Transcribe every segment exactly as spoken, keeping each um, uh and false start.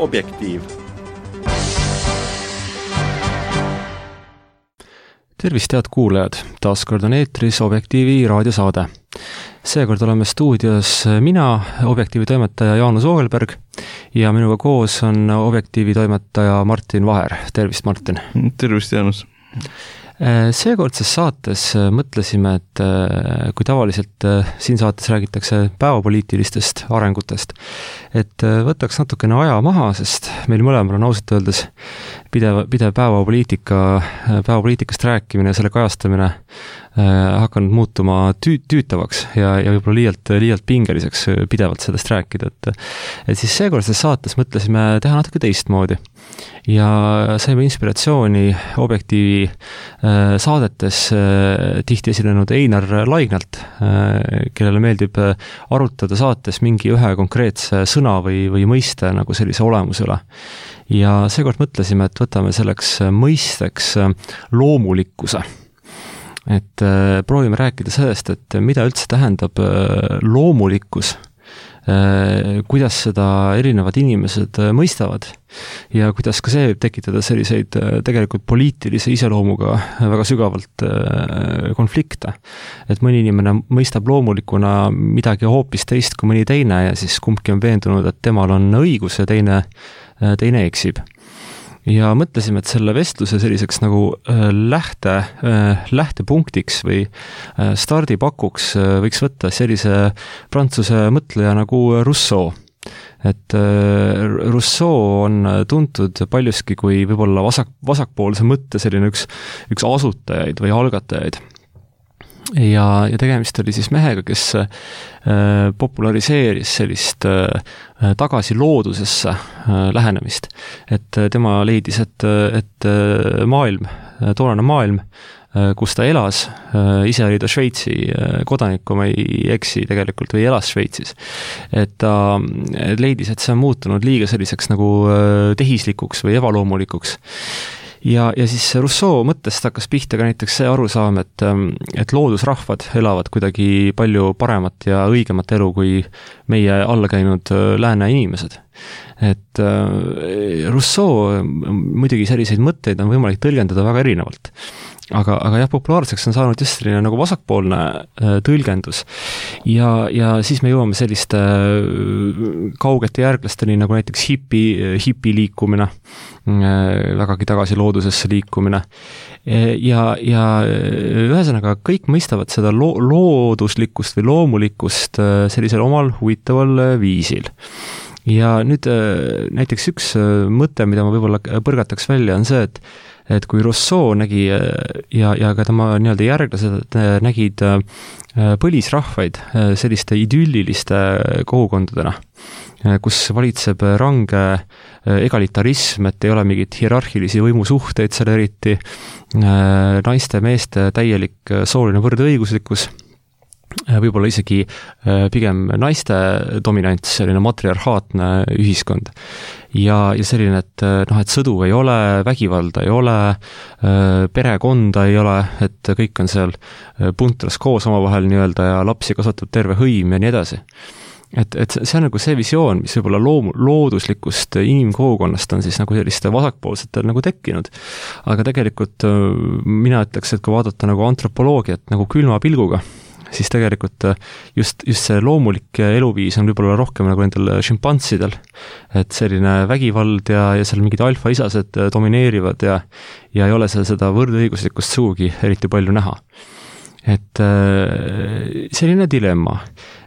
Objektiiv. Tervist, head kuulajad! Taaskord on eetris Objektiivi raadiosaade. Seekord oleme stuudios mina, Objektiivi toimetaja Jaanus Oogelberg, ja minuga koos on Objektiivi toimetaja Martin Vaher. Tervist, Martin! Tervist, Jaanus! Seekordses saates mõtlesime, et kui tavaliselt siin saates räägitakse päevapoliitilistest arengutest, et võtaks natukene aja maha, sest meil mõlemal on ausalt öeldes pidev, pidev päevapoliitika, päevapoliitikast rääkimine ja selle kajastamine hakanud muutuma tüü, tüütavaks ja, ja võib-olla liialt, liialt pingeliseks pidevalt sellest rääkida. Et, et siis seekordses saates mõtlesime teha natuke teistmoodi ja saime inspiratsiooni Objektiivi saadetes tihti esinenud Einar Laignalt, kellele meeldib arutada saates mingi ühe konkreetse sõna või, või mõiste nagu sellise olemuse üle. Ja seekord mõtlesime, et võtame selleks mõisteks loomulikkuse. Et proovime rääkida sellest, et mida üldse tähendab loomulikkus, kuidas seda erinevad inimesed mõistavad ja kuidas ka see võib tekitada selliseid tegelikult poliitilise iseloomuga väga sügavalt konflikte. Et mõni inimene mõistab loomulikuna midagi hoopis teist kui mõni teine ja siis kumbki on veendunud, et temal on õigus ja teine, teine eksib. Ja mõtlesime, et selle vestluse selliseks nagu lähte, lähtepunktiks või stardipakuks võiks võtta sellise prantsuse mõtleja nagu Rousseau. Et Rousseau on tuntud paljuski kui võib-olla vasak, vasakpoolse mõtte selline üks, üks asutajaid või algatajaid. Ja, ja tegemist oli siis mehega, kes äh, populariseeris sellist äh, tagasi loodusesse äh, lähenemist. Et tema leidis, et, et maailm, toonane maailm, äh, kus ta elas, äh, ise oli ta Šveitsi äh, kodanik, kui ma ei eksi tegelikult, või elas Šveitsis. Et ta leidis, et see on muutunud liiga selliseks nagu äh, tehislikuks või ebaloomulikuks. Ja, ja siis Rousseau mõttest hakkas pihta ka näiteks see arusaam, et, et loodusrahvad elavad kuidagi palju paremat ja õigemat elu kui meie alla käinud lääne inimesed. Et Rousseau muidugi selliseid mõtteid on võimalik tõlgendada väga erinevalt. Aga, aga jah, populaarseks on saanud just selline nagu vasakpoolne tõlgendus. Ja, ja siis me jõuame selliste kaugete järglasteni nagu näiteks hipi, hipi liikumine, vägagi tagasi loodusesse liikumine. Ja, ja ühesõnaga kõik mõistavad seda lo- looduslikkust või loomulikkust sellisel omal huvitaval viisil. Ja nüüd näiteks üks mõte, mida ma võib-olla põrgataks välja, on see, et et kui Rousseau nägi ja, ja ka tema nii-öelda järglased nägid põlisrahvaid selliste idülliliste kogukondadena, kus valitseb range egalitarism, et ei ole mingit hierarhilisi võimusuhteid seal eriti, naiste, meeste täielik sooline võrdõiguslikkus, võib-olla isegi pigem naiste dominants, selline matriarhaatne ühiskond. Ja, ja selline, et, noh, et sõdu ei ole, vägivalda ei ole, perekonda ei ole, et kõik on seal puntras koos omavahel nii-öelda ja lapsi kasvatab terve hõim ja nii edasi. Et, et see on nagu see visioon, mis võib-olla loom, looduslikust inimkogukonnast on siis nagu selliste vasakpoolsetel nagu tekkinud. Aga tegelikult mina ütleks, et kui vaadata nagu antropoloogiat nagu külma pilguga, siis tegelikult just, just see loomulik eluviis on võib-olla rohkem nagu nendel šimpanssidel, et selline vägivald ja, ja seal mingid alfaisased domineerivad ja, ja ei ole seal seda võrdõiguslikkust suugi eriti palju näha. Et selline dilemma,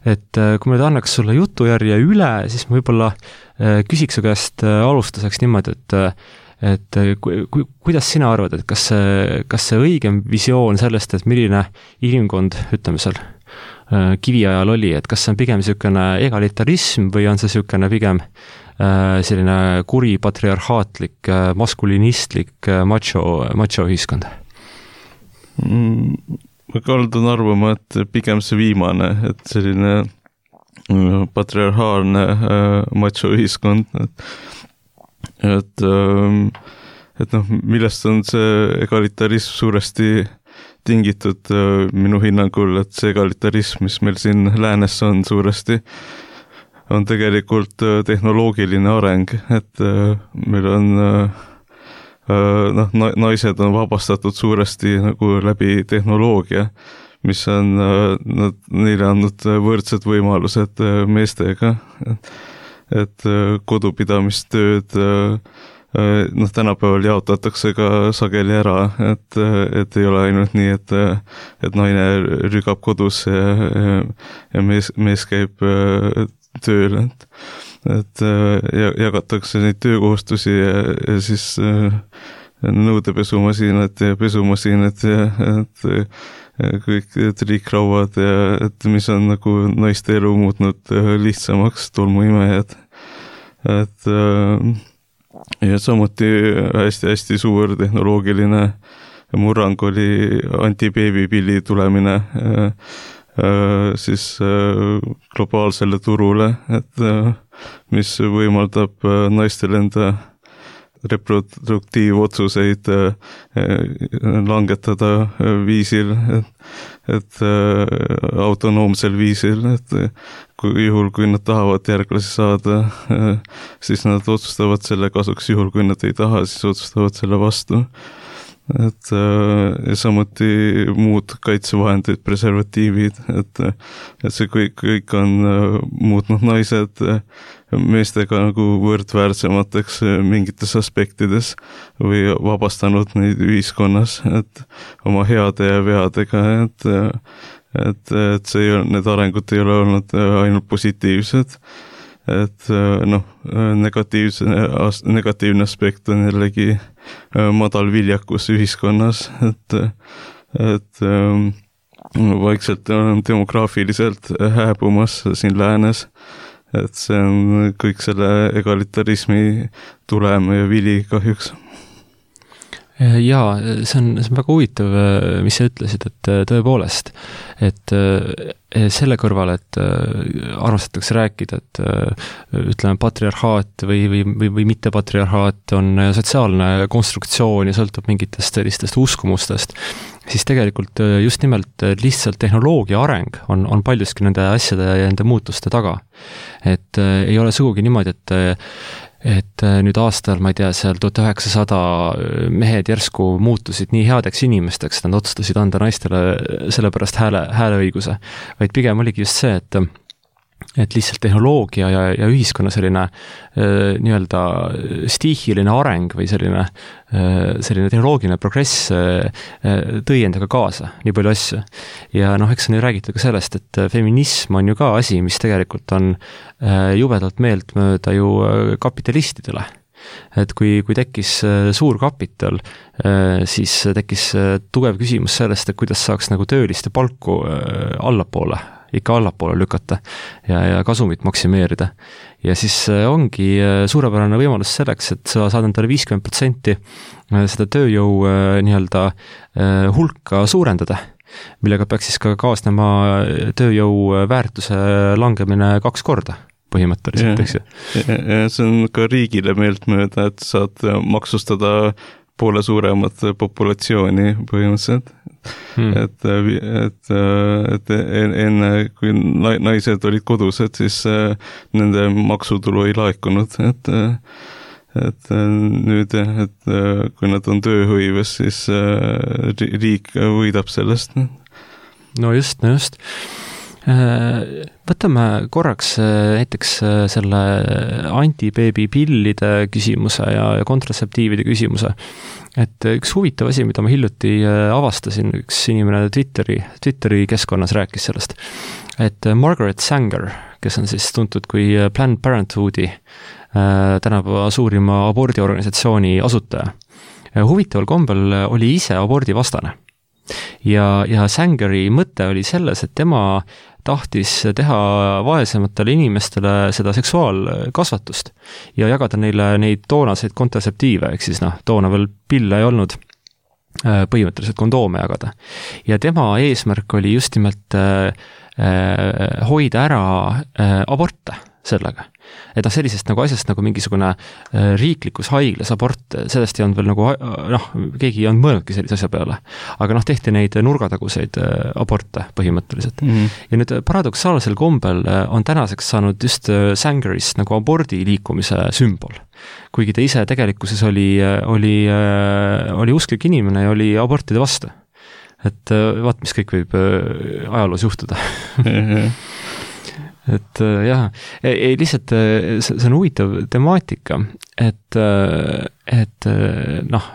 et kui me annaks sulle jutujärje üle, siis ma võib-olla küsiks su käest alustuseks niimoodi, et et ku, ku, kuidas sina arvad, et kas see, kas see õigem visioon sellest, et milline inimkond, ütleme seal, kiviajal oli, et kas see on pigem niisugune egalitarism või on see niisugune pigem selline kuri patriarhaatlik, maskulinistlik macho, macho ühiskond? Ma kaldun arvama, et pigem see viimane, et selline patriarhaalne macho ühiskond, et et, et noh, millest on see egalitarism suuresti tingitud minu hinnangul, et see egalitarism, mis meil siin läänes on suuresti, on tegelikult tehnoloogiline areng, et meil on noh, naised on vabastatud suuresti nagu läbi tehnoloogia, mis on nad, neile andnud võrdsed võimalused meestega, et kodupidamistööd noh, tänapäeval jaotatakse ka sageli ära, et, et ei ole ainult nii, et, et naine rügab kodus ja, ja mees, mees käib tööl, et, et jagatakse neid töökohustusi ja, ja siis nõudepesumasinad ja pesumasinad ja et kõik triikrauad ja et mis on nagu naiste elu muutnud lihtsamaks, tolmuimejad, et ja samuti hästi-hästi suur tehnoloogiline murrang oli antibeebipilli tulemine siis globaalsele turule, et mis võimaldab naistel enda reproduktiivotsuseid langetada viisil, et, et autonoomsel viisil, et kui, juhul, kui nad tahavad järglasi saada, siis nad otsustavad selle kasuks, juhul kui nad ei taha, siis otsustavad selle vastu. Et ja samuti muud kaitsevahendid, preservatiivid, et, et see kõik, kõik on muutnud naised meestega nagu võrdväärsemateks mingites aspektides või vabastanud neid ühiskonnas, et oma heade ja veadega, et, et, et see ei ole, need arengud ei ole olnud ainult positiivsed, et noh, negatiivse, negatiivne aspekt on jällegi madal viljakus ühiskonnas, et, et vaikselt on demograafiliselt hääbumas siin läänes, et see on kõik selle egalitarismi tulem ja vili kahjuks. Jaa, see on, see on väga huvitav, mis sa ütlesid, et tõepoolest, et selle kõrval, et armastatakse rääkida, et ütleme, patriarhaat või, või, või, või mitte patriarhaat on sotsiaalne konstruktsioon ja sõltub mingitest sellistest uskumustest, siis tegelikult just nimelt lihtsalt tehnoloogia areng on, on paljuski nende asjade ja nende muutuste taga. Et ei ole sugugi niimoodi, et et nüüd aastal, ma ei tea, seal tuhat üheksasada mehed järsku muutusid nii headeks inimesteks, nad otsustasid anda naistele sellepärast hääle, hääleõiguse, vaid pigem oligi just see, et et lihtsalt tehnoloogia ja, ja ühiskonna selline äh, nii-öelda stiihiline areng või selline, äh, selline tehnoloogiline progress äh, tõi endaga kaasa nii palju asju. Ja noh, eks on ju räägitud ka sellest, et feminism on ju ka asi, mis tegelikult on äh, jubedalt meeltmööda ju kapitalistidele. Et kui, kui tekkis suur kapital, siis tekkis tugev küsimus sellest, et kuidas saaks nagu tööliste palku allapoole, ikka allapoole lükata ja, ja kasumit maksimeerida. Ja siis ongi suurepärane võimalus selleks, et sa saad endale viiskümmend protsenti seda tööjõu nii-öelda hulka suurendada, millega peaks siis ka kaasnema tööjõu väärtuse langemine kaks korda põhimõtteliselt, eks ju. Ja see on ka riigile meeltmööda, et saad maksustada poole suuremat populatsiooni põhimõtteliselt. Hmm. Et, et, et enne, kui naised olid kodused, siis nende maksutulu ei laekunud, et, et nüüd, et kui nad on tööhõives, siis riik võidab sellest. No just, no just. Võtame korraks näiteks selle antibeebipillide küsimuse ja, ja kontratseptiivide küsimuse. Et üks huvitav asi, mida ma hiljuti avastasin, üks inimene Twitteri, Twitteri keskkonnas rääkis sellest, et Margaret Sanger, kes on siis tuntud kui Planned Parenthoodi tänapäeva suurima abordiorganisatsiooni asutaja, huvitaval kombel oli ise abordivastane. Ja, ja Sangeri mõte oli selles, et tema tahtis teha vaesematele inimestele seda seksuaalkasvatust ja jagada neile neid toonaseid kontratseptiive, ehk siis noh, toona veel pille ei olnud, põhimõtteliselt kondoome jagada. Ja tema eesmärk oli just nimelt hoida ära aborte, sellega. Et noh, sellisest nagu asjast nagu mingisugune riiklikus haiglas abort, sellest ei olnud veel nagu, noh, keegi ei olnud mõelnudki sellise asja peale. Aga noh, tehti neid nurgataguseid aborte põhimõtteliselt. Mm-hmm. Ja nüüd paradoksaalsel kombel on tänaseks saanud just Sangerist nagu abordi liikumise sümbol. Kuigi ta ise tegelikkuses oli, oli, oli usklik inimene ja oli abortide vastu. Et vaat, mis kõik võib ajaloos juhtuda. et jah, ei, lihtsalt see on huvitav temaatika, et, et noh,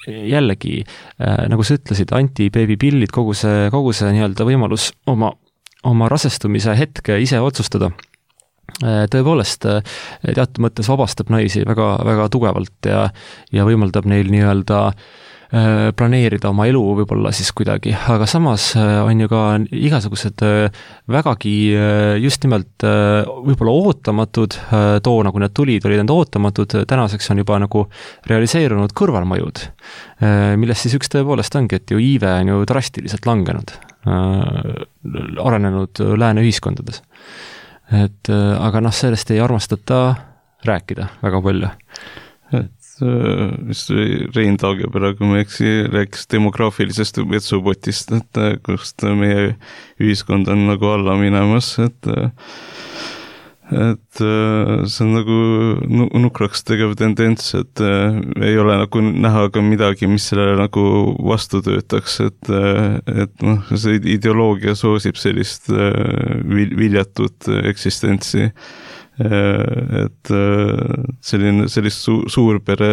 jällegi, nagu sa ütlesid, anti-baby-pillid, kogu see, kogu see nii-öelda võimalus oma, oma rasestumise hetke ise otsustada, tõepoolest teatud mõttes vabastab naisi väga, väga tugevalt ja, ja võimaldab neil nii-öelda planeerida oma elu võib-olla siis kuidagi, aga samas on ju ka igasugused vägagi just nimelt võib-olla ootamatud, toona kui need tulid, olid need ootamatud, tänaseks on juba nagu realiseerunud kõrvalmõjud, millest siis üks tõepoolest ongi, et ju iive on ju drastiliselt langenud, arenenud lääne ühiskondades. Et aga noh, sellest ei armastata rääkida väga palju. Et mis Rein Taagepera, kui ma eksi, rääkis demograafilisest vetsupotist, et kust meie ühiskond on nagu alla minemas, et et see on nagu nukraks tegev tendents, et ei ole nagu näha ka midagi, mis sellele nagu vastu töötaks, et, et noh, see ideoloogia soosib sellist viljatut eksistentsi, et selline, sellist su, suurpere,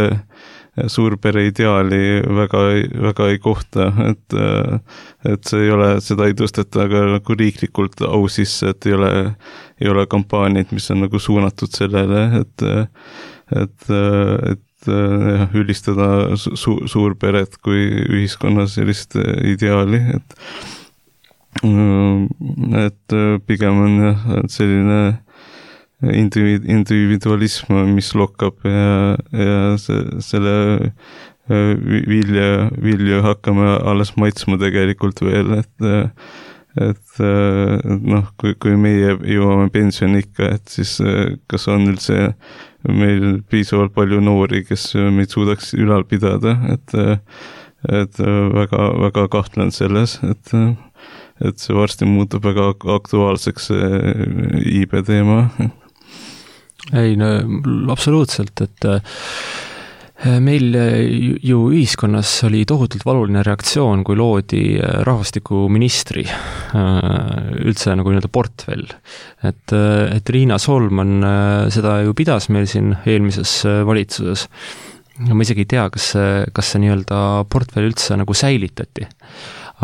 suurpere ideaali väga, väga ei kohta, et, et see ei ole, seda ei tõsteta aga nagu riiklikult au sisse, et ei ole, ei ole kampaaniaid, mis on nagu suunatud sellele, et, et, et jah, ülistada su, suurperet kui ühiskonna sellist ideaali, et, et pigem on jah, selline individualism, mis lokkab ja, ja se, selle vilja, vilju hakkame alles maitsma tegelikult veel, et et noh, kui, kui meie jõuame pensionikka, et siis kas on üldse meil piisavalt palju noori, kes meid suudaks ülal pidada, et et väga, väga kahtlen selles, et et see varsti muutub väga aktuaalseks iibe teema. Ei, no absoluutselt, et meil ju ühiskonnas oli tohutult valuline reaktsioon, kui loodi rahvastikuministri üldse nagu nii-öelda portfell. Et, et Riina Solman seda ju pidas meil siin eelmises valitsuses. Ma isegi ei tea, kas see, kas see nii-öelda portfell üldse nagu säilitati.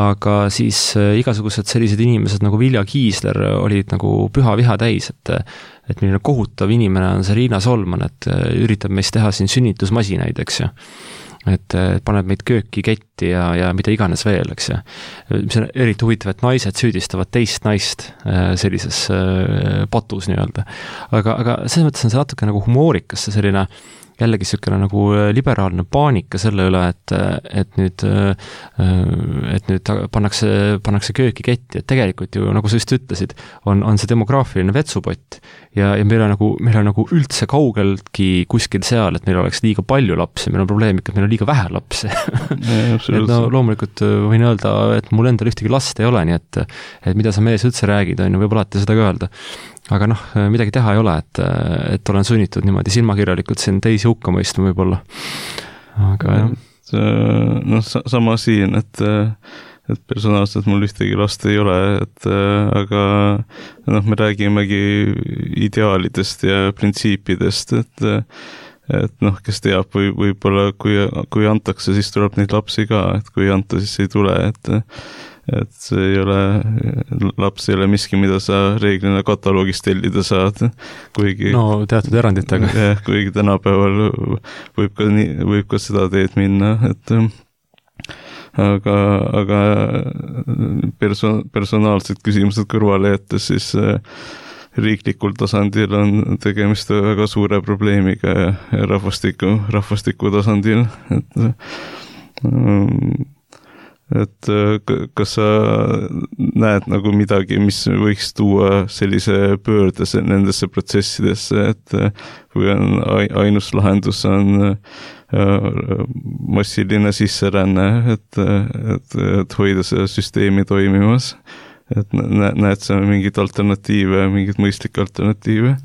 Aga siis igasugused sellised inimesed nagu Vilja Kiisler olid nagu püha viha täis, et et milline kohutav inimene on see Riina Solman, et üritab meist teha siin sünnitusmasinaid, eks ju. Et paneb meid kööki ketti ja, ja mida iganes veel, eks ju. Mis on eriti huvitav, et naised süüdistavad teist naist sellises patus nii-öelda. Aga, aga selles mõttes on see natuke nagu humoorikas, see selline jällegi niisugune nagu liberaalne paanika selle üle, et, et nüüd, et nüüd pannakse, pannakse kööki ketti, et tegelikult ju, nagu sa just ütlesid, on, on see demograafiline vetsupott ja, ja meil on nagu, meil on nagu üldse kaugeltki kuskil seal, et meil oleks liiga palju lapsi, meil on probleem ikka, et meil on liiga vähe lapsi. et no loomulikult võin öelda, et mul endal ühtegi last ei ole, nii et, et mida sa mees üldse räägid, on ju, võib alati seda ka öelda. Aga noh, midagi teha ei ole, et, et olen sunnitud niimoodi silmakirjalikult siin teisi hukka mõistma võib-olla. Aga jah. noh, sama siin, et, et personaalselt mul ühtegi last ei ole, et aga noh, me räägimegi ideaalidest ja printsiipidest, et et noh, kes teab, või võib-olla kui, kui antakse, siis tuleb neid lapsi ka, et kui ei anta, siis ei tule, et et see ei ole, laps ei ole miski, mida sa reeglina kataloogist tellida saad, kuigi no teatud eranditega. jah, kuigi tänapäeval võib ka, nii, võib ka seda teed minna, et aga, aga perso-, personaalsed küsimused kõrvale jättes, siis riiklikul tasandil on tegemist väga suure probleemiga rahvastiku, rahvastiku tasandil, et et kas sa näed nagu midagi, mis võiks tuua sellise pöörde nendesse protsessidesse, et kui on ainus lahendus on massiline sisseränne, et, et, et hoida see süsteemi toimimas, et näed sa mingid alternatiive, mingid mõistlikke alternatiive?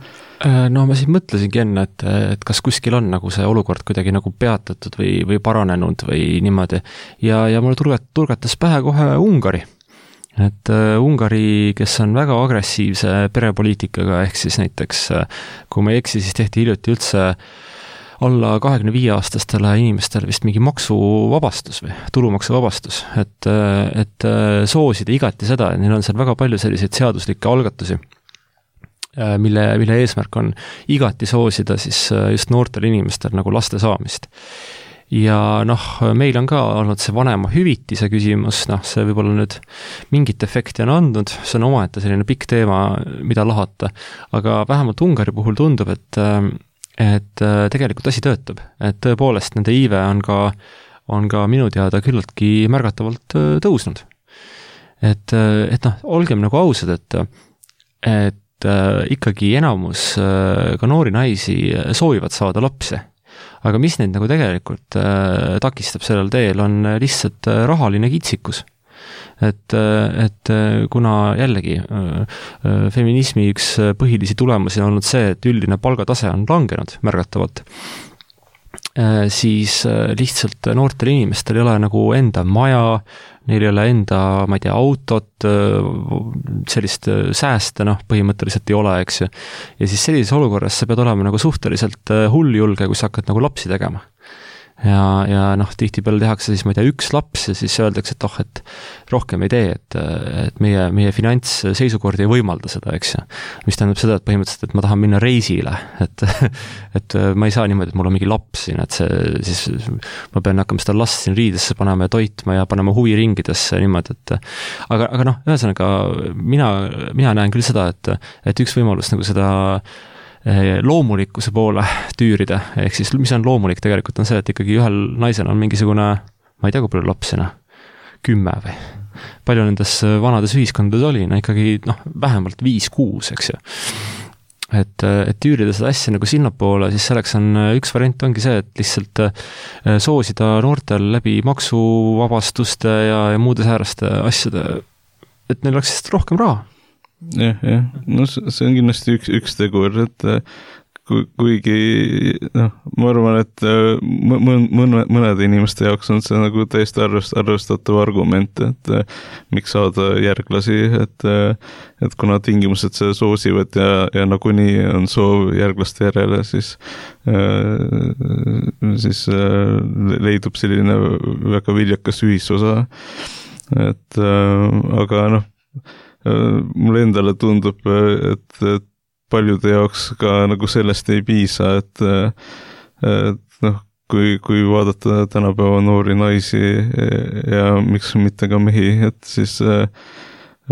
No ma siis mõtlesingi enne, et, et kas kuskil on nagu see olukord kuidagi nagu peatatud või, või paranenud või niimoodi. Ja, ja mulle turgat, turgatas pähe kohe Ungari. Et uh, Ungari, kes on väga agressiivse perepoliitikaga, ehk siis näiteks, kui ma ei eksi, siis tehti hiljuti üldse alla kahekümne viie aastastele inimestele vist mingi maksuvabastus või tulumaksuvabastus, et, et soosida igati seda, et neil on seal väga palju selliseid seaduslikke algatusi, mille, mille eesmärk on igati soosida siis just noortel inimestel nagu laste saamist. Ja noh, meil on ka olnud see vanema hüvitise küsimus, noh, see võib-olla nüüd mingit efekti on andnud, see on omaette selline pikk teema, mida lahata, aga vähemalt Ungari puhul tundub, et et tegelikult asi töötab, et tõepoolest nende iive on ka, on ka minu teada küllaltki märgatavalt tõusnud. Et, et noh, olgem nagu ausad, et, et ikkagi enamus ka noori naisi soovivad saada lapsi, aga mis neid nagu tegelikult takistab sellel teel, on lihtsalt rahaline kitsikus. Et, et kuna jällegi feminismi üks põhilisi tulemusi on olnud see, et üldine palgatase on langenud märgatavalt, siis lihtsalt noortel inimestel ei ole nagu enda maja, neil ei ole enda, ma ei tea, autot, sellist sääste, noh, põhimõtteliselt ei ole, eks ju. Ja siis sellises olukorras sa pead olema nagu suhteliselt hulljulge, kui sa hakkad nagu lapsi tegema. Ja, ja noh, tihti peale tehakse siis, ma ei tea, üks laps ja siis öeldakse, et oh, et rohkem ei tee, et, et meie, meie finantsseisukord ei võimalda seda, eks ju. Mis tähendab seda, et põhimõtteliselt, et ma tahan minna reisile, et, et ma ei saa niimoodi, et mul on mingi laps siin, et see siis ma pean hakkama seda last siin riidesse panema ja toitma ja panema huviringidesse niimoodi, et aga, aga noh, ühesõnaga mina, mina näen küll seda, et, et üks võimalus nagu seda loomulikkuse poole tüürida, ehk siis mis on loomulik tegelikult on see, et ikkagi ühel naisel on mingisugune, ma ei tea, kui palju lapsina, kümme või palju nendes vanades ühiskondades oli, no ikkagi noh, vähemalt viis-kuus, eks ju. Et, et tüürida seda asja nagu sinnapoole, siis selleks on üks variant ongi see, et lihtsalt soosida noortel läbi maksuvabastuste ja, ja muude sääraste asjade, et neil oleks lihtsalt rohkem raha. jah, jah, no see on kindlasti üks, üks tegur, et ku, kuigi noh, ma arvan, et mõn, mõne, mõnede inimeste jaoks on see nagu täiesti arvest, arvestatav argument, et miks saada järglasi, et, et kuna tingimused seda soosivad ja, ja nagunii on soov järglaste järele, siis siis leidub selline väga viljakas ühisosa, et aga noh, mulle endale tundub, et, et paljude jaoks ka nagu sellest ei piisa, et, et noh, kui, kui vaadata tänapäeva noori naisi ja miks mitte ka mehi, et siis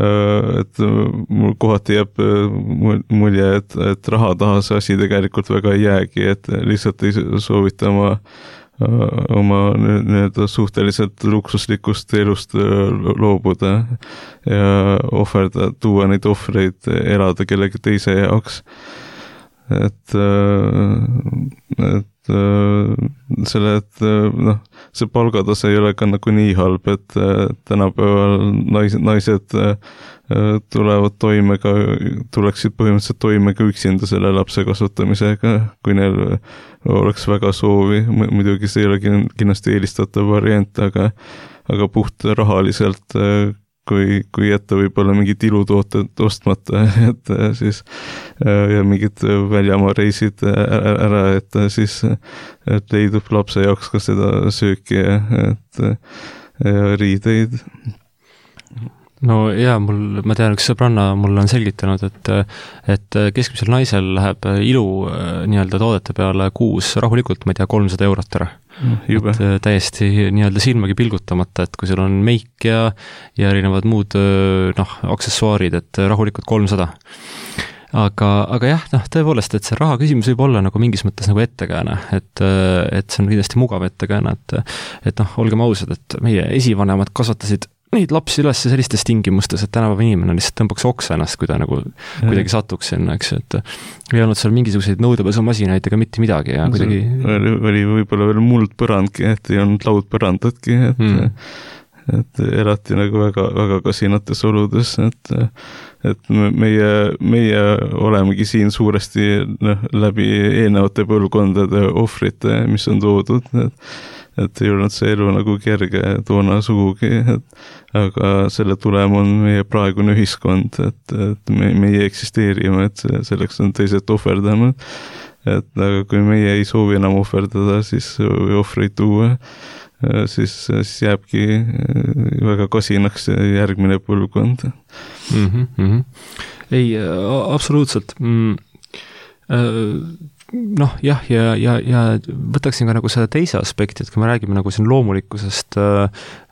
et mul kohati jääb mulje, et, et raha taha see asi tegelikult väga ei jäägi, et lihtsalt ei soovita oma oma nii-öelda suhteliselt luksuslikust elust loobuda ja ohverda, tuua neid ohvreid, elada kellegi teise jaoks. Et, et selle, et noh, see palgatase ei ole ka nagu nii halb, et tänapäeval naised, naised tulevad toime ka, tuleksid põhimõtteliselt toime ka üksinda selle lapse kasvatamisega, kui neil oleks väga soovi, muidugi see ei ole kindlasti eelistatav variant, aga, aga puht rahaliselt, kui, kui jätta võib-olla mingid ilutooted ostmata, et siis ja mingid väljamaa reisid ära, ära, et siis et leidub lapse jaoks ka seda sööki, et ja riideid. No jaa, mul, ma tean, üks sõbranna mulle on selgitanud, et, et keskmisel naisel läheb ilu nii-öelda toodete peale kuus rahulikult, ma ei tea, kolmsada eurot ära. Jube. Et täiesti nii-öelda silmagi pilgutamata, et kui sul on meik ja, ja erinevad muud noh, aksessuaarid, et rahulikult kolmsada. aga, aga jah, noh, tõepoolest, et see raha küsimus võib olla nagu mingis mõttes nagu ettekääne, et, et see on kindlasti mugav ettekääne, et, et noh, olgem ausad, et meie esivanemad kasvatasid neid lapsi üles sellistes tingimustes, et tänapäeva inimene lihtsalt tõmbaks oksa ennast, kui ta nagu kuidagi satuks sinna, eks, et ei olnud seal mingisuguseid nõudepesumasinaid ega mitte midagi ja kuidagi oli, oli võib-olla veel muldpõrandki, et ei olnud laudpõrandatki, et mm. et elati nagu väga, väga kasinates oludes, et et meie, meie olemegi siin suuresti noh, läbi eelnevate põlvkondade ohvrite, mis on toodud, et, et ei olnud see elu nagu kerge toona sugugi, et, aga selle tulem on meie praegune ühiskond, et, et me, meie eksisteerime, et selleks on teised ohverdanud, et aga kui meie ei soovi enam ohverdada, siis või ohvreid tuua, siis, siis jääbki väga kasinaks järgmine põlvkond. Mm-hmm, mm-hmm. Ei, absoluutselt. Mm, noh, jah, ja, ja, ja võtaksin ka nagu selle teise aspekti, et kui me räägime nagu siin loomulikkusest,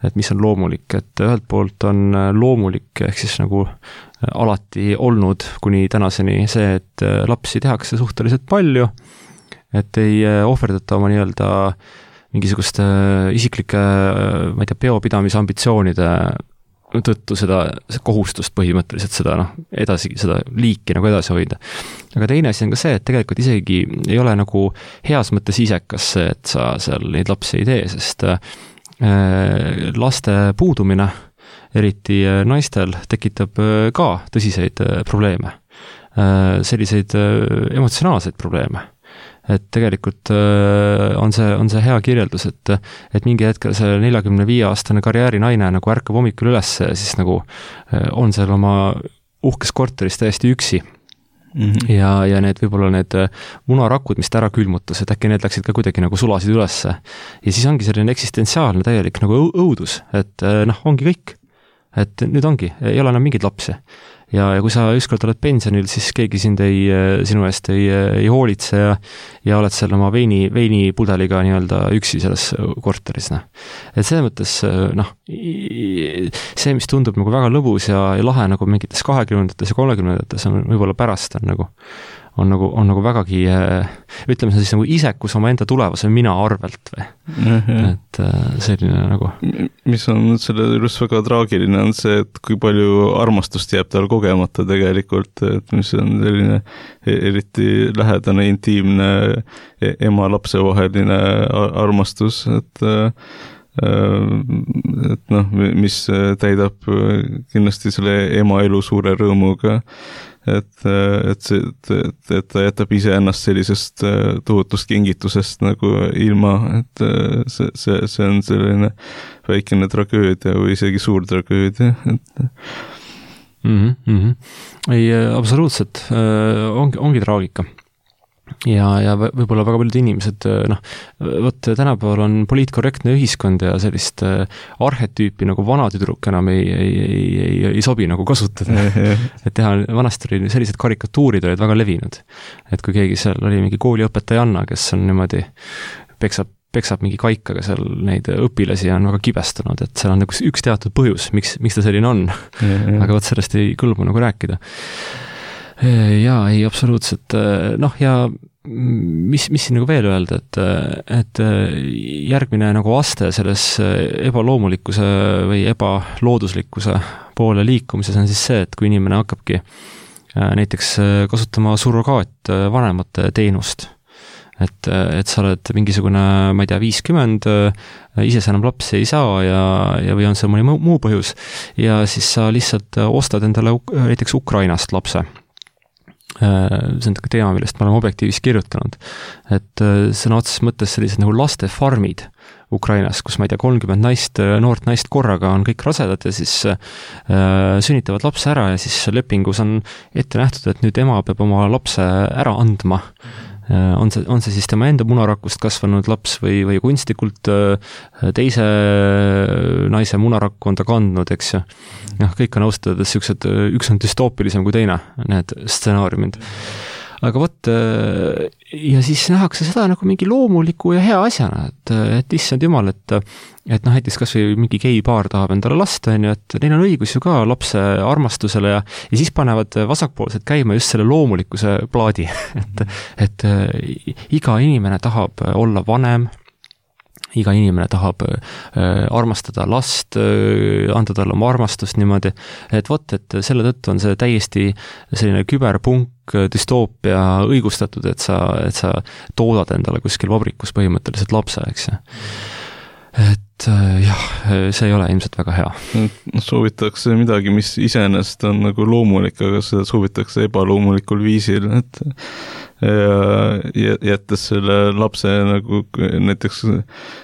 et mis on loomulik, et ühelt poolt on loomulik ehk siis nagu alati olnud kuni tänaseni see, et lapsi tehakse suhteliselt palju, et ei ohverdata oma nii-öelda mingisuguste isiklike, ma ei tea, peopidamise ambitsioonide tõttu seda kohustust põhimõtteliselt seda, noh, edasi, seda liiki nagu edasi hoida. Aga teine asi on ka see, et tegelikult isegi ei ole nagu heas mõttes isekas see, et sa seal neid lapsi ei tee, sest laste puudumine, eriti naistel, tekitab ka tõsiseid probleeme. Selliseid emotsionaalseid probleeme. Et tegelikult on see, on see hea kirjeldus, et, et mingi hetkel see neljakümne viie aastane karjäärinaine nagu ärkab hommikul üles ja siis nagu on seal oma uhkes korteris täiesti üksi. Mm-hmm. Ja, ja need võib-olla need munarakud, mis ta ära külmutas, et äkki need läksid ka kuidagi nagu sulasid ülesse. Ja siis ongi selline eksistentsiaalne täielik nagu õudus, et noh, ongi kõik. Et nüüd ongi, ei ole enam mingid lapsi. Ja, ja kui sa ükskord oled pensionil, siis keegi sind ei, sinu eest ei, ei hoolitse ja, ja oled seal oma veini, veini pudeliga nii-öelda üksi selles korteris. Noh. Et selles mõttes, noh, see, mis tundub nagu väga lõbus ja, ja lahe nagu mingites kahekümnendates ja kolmekümnendates on võib-olla pärast on nagu on nagu, on nagu vägagi, ütleme see siis nagu isekus oma enda tulevase mina arvelt või. Mm-hmm. Et selline nagu. Mis on selle juures väga traagiline on see, et kui palju armastust jääb tal kogemata tegelikult, et mis on selline eriti lähedane, intiimne ema-lapse vaheline armastus, et et noh, mis täidab kindlasti selle ema elu suure rõõmuga, et, et, see, et, et ta jätab ise ennast sellisest tohutust kingitusest nagu ilma, et see, see, see on selline väikene tragöödia või isegi suur tragöödia, et mm-hmm, mm-hmm. Ei, absoluutselt, ongi, ongi traagika. Ja, ja võib-olla väga paljud inimesed, noh, võt tänapäeval on poliitkorrektne ühiskond ja sellist arhetüüpi nagu vanatüdruk enam ei, ei, ei, ei, ei sobi nagu kasutada. Et teha, vanasti oli sellised karikatuurid olid väga levinud. Et kui keegi seal oli mingi kooliõpetajanna, kes on niimoodi peksab, peksab mingi kaikaga seal neid õpilasi ja on väga kibestunud, et seal on nagu üks teatud põhjus, miks, miks ta selline on. Aga võt sellest ei kõlbu nagu rääkida. Jaa, ei, absoluutselt. Noh, ja mis, mis siin nagu veel öelda, et, et järgmine nagu aste selles ebaloomulikkuse või ebalooduslikkuse poole liikumises on siis see, et kui inimene hakkabki näiteks kasutama surrogaat vanemate teenust, et, et sa oled mingisugune, ma ei tea, viiskümmend, ise sa enam lapsi ei saa ja, ja või on see mõni muu põhjus ja siis sa lihtsalt ostad endale näiteks Ukrainast lapse. See on teema, millest me oleme objektiivis kirjutanud, et sõna otseses mõttes sellised nagu lastefarmid Ukrainas, kus ma ei tea, kolmkümmend naist, noort naist korraga on kõik rasedad ja siis äh, sünnitavad lapse ära ja siis lepingus on ette nähtud, et nüüd ema peab oma lapse ära andma. Äh, on see, on see siis tema enda munarakust kasvanud laps või, või kunstlikult äh, teise naise munarakku on ta kandnud, eks ju. Noh, kõik on austada, et üks on düstoopilisem kui teine, need stsenaariumid. aga vot, ja siis nähakse seda nagu mingi loomuliku ja hea asjana, et, et issand jumal, et et noh, näiteks kas või mingi geipaar tahab endale last, on ju, et neil on õigus ju ka lapse armastusele ja, ja siis panevad vasakpoolsed käima just selle loomulikkuse plaadi, et, et iga inimene tahab olla vanem, iga inimene tahab äh, armastada last, äh, anda talle oma armastust niimoodi, et vot, et selle tõttu on see täiesti selline küberpunk düstoopia õigustatud, et sa, et sa toodad endale kuskil vabrikus põhimõtteliselt lapse, eks ju. Et äh, jah, see ei ole ilmselt väga hea. Soovitakse midagi, mis iseenesest on nagu loomulik, aga seda soovitakse ebaloomulikul viisil, et ja jättes selle lapse nagu näiteks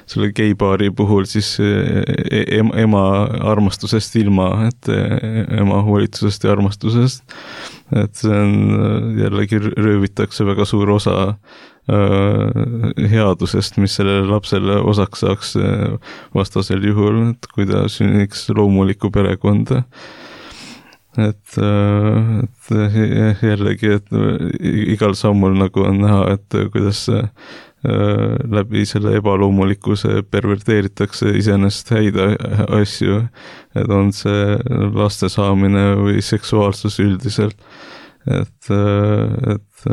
selle geipaari puhul siis ema armastusest ilma, et ema hoolitusest ja armastusest, et see on jällegi röövitakse väga suur osa headusest, mis sellele lapsele osaks saaks vastasel juhul, et kui ta sünniks loomulikku perekonda. Et, et jällegi, et igal sammul nagu on näha, et kuidas läbi selle ebaloomulikkuse perverteeritakse iseenesest häid asju, et on see laste saamine või seksuaalsus üldiselt, et, et,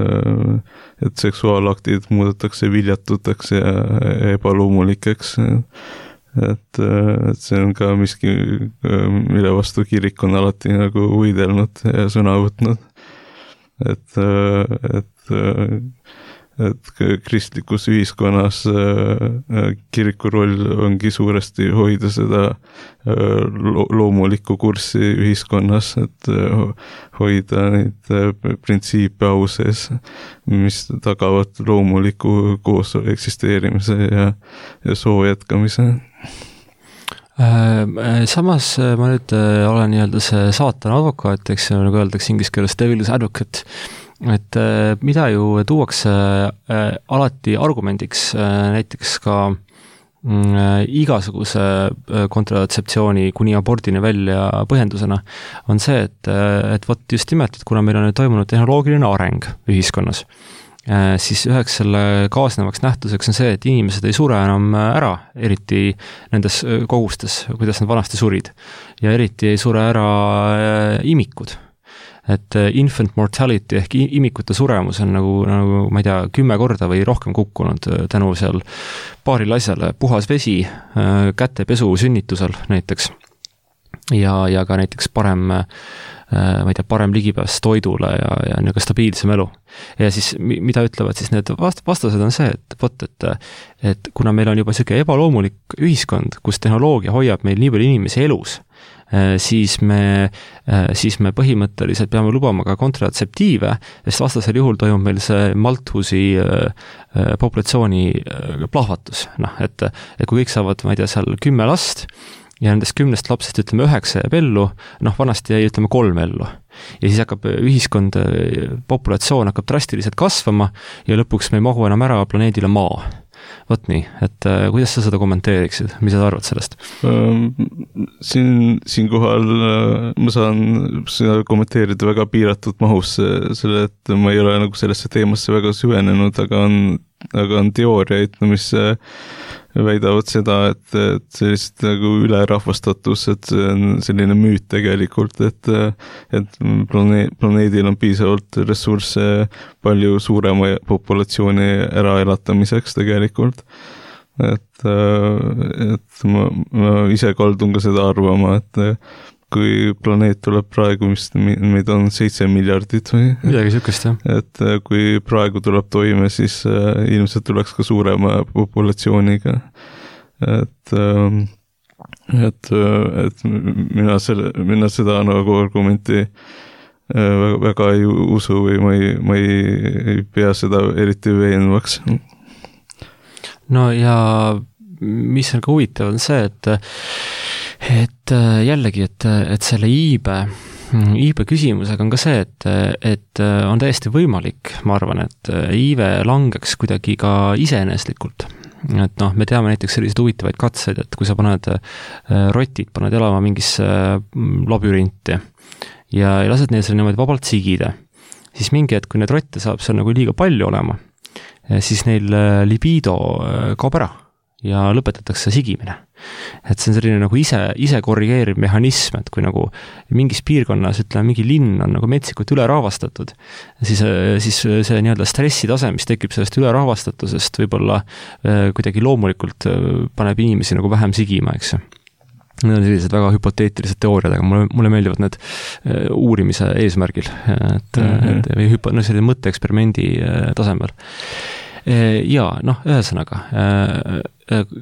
et seksuaalaktid muudetakse viljatuteks ja ebaloomulikeks. Et, et see on ka miski, mille vastu kirik on alati nagu võidelnud ja sõna võtnud. Et, et, et kristlikus ühiskonnas kiriku roll ongi suuresti hoida seda loomulikku kurssi ühiskonnas, et hoida neid printsiipe au sees, mis tagavad loomuliku koos eksisteerimise ja, ja soo jätkamise. Samas ma nüüd olen nii-öelda see saatana advokaat, eks nagu öeldakse inglise keeles devil's advocate, et mida ju tuuakse alati argumendiks näiteks ka igasuguse kontratseptsiooni kuni abordini välja põhjendusena, on see, et, et vot just nimelt, et kuna meil on toimunud tehnoloogiline areng ühiskonnas, siis üheks selle kaasnevaks nähtuseks on see, et inimesed ei sure enam ära, eriti nendes kogustes, kuidas nad vanasti surid. Ja eriti ei sure ära imikud. Et infant mortality ehk imikute suremus on nagu, nagu ma ei tea, kümme korda või rohkem kukkunud tänu seal paaril asjale, puhas vesi, kätepesu sünnitusel näiteks ja, ja ka näiteks parem ma ei tea, parem ligipääs toidule ja, ja niisugune stabiilsem elu. Ja siis, mida ütlevad siis need vastased on see, et vot, et, et kuna meil on juba selline ebaloomulik ühiskond, kus tehnoloogia hoiab meil nii palju inimesi elus, siis me, siis me põhimõtteliselt peame lubama ka kontratseptiive, sest vastasel juhul toimub meil see Malthusi populatsiooni plahvatus. Noh, et, et kui kõik saavad, ma ei tea, seal kümme last, ja nendest kümnest lapsest, ütleme, üheksa jääb ellu, noh, vanasti jäi, ütleme, kolm ellu. Ja siis hakkab ühiskond, populatsioon hakkab drastiliselt kasvama ja lõpuks me ei mahu enam ära planeedile Maa. Vot nii, et äh, kuidas sa seda kommenteeriksid? Mis sa arvad sellest? Siin, siin kohal ma saan seda kommenteerida väga piiratud mahus, selle, et ma ei ole nagu sellesse teemasse väga süvenenud, aga on, aga on teooriaid, mis väidavad seda, et, et sellist nagu ülerahvastatus, et see on selline müüt tegelikult, et, et plane, planeedil on piisavalt ressursse palju suurema populatsiooni äraelatamiseks tegelikult. Et, et ma, ma ise kaldun ka seda arvama, et kui planeet tuleb praegu, mis meid on seitse miljardit või? Midagi sükest, jah. Et kui praegu tuleb toime, siis ilmselt tuleks ka suurema populatsiooniga. Et, et, et mina, selle, mina seda nagu argumenti väga, väga ei usu või ma ei, ma ei pea seda eriti veenvaks. No ja mis on ka huvitav on see, et et jällegi, et, et selle iibe, iibe küsimusega on ka see, et, et on täiesti võimalik, ma arvan, et iive langeks kuidagi ka iseeneslikult. Et noh, me teame näiteks selliseid huvitavaid katseid, et kui sa paned rotid, paned elama mingisse labürinti ja lased neil selle niimoodi vabalt sigida, siis mingi hetk, kui neid rotte saab seal nagu liiga palju olema, siis neil libido kaob ära ja lõpetatakse sigimine. Et see on selline nagu ise, ise korrigeeriv mehhanism, et kui nagu mingis piirkonnas, ütleme, mingi linn on nagu metsikult üle rahvastatud, siis, siis see nii-öelda stressitase, mis tekib sellest üle rahvastatusest, võib-olla kuidagi loomulikult paneb inimesi nagu vähem sigima, eks ju. Need on sellised väga hüpoteetilised teooriad, aga mulle, mulle meeldivad need uurimise eesmärgil, et, mm-hmm. et või hüpo, no selline mõtteeksperimendi tasemel. Ja noh, ühesõnaga,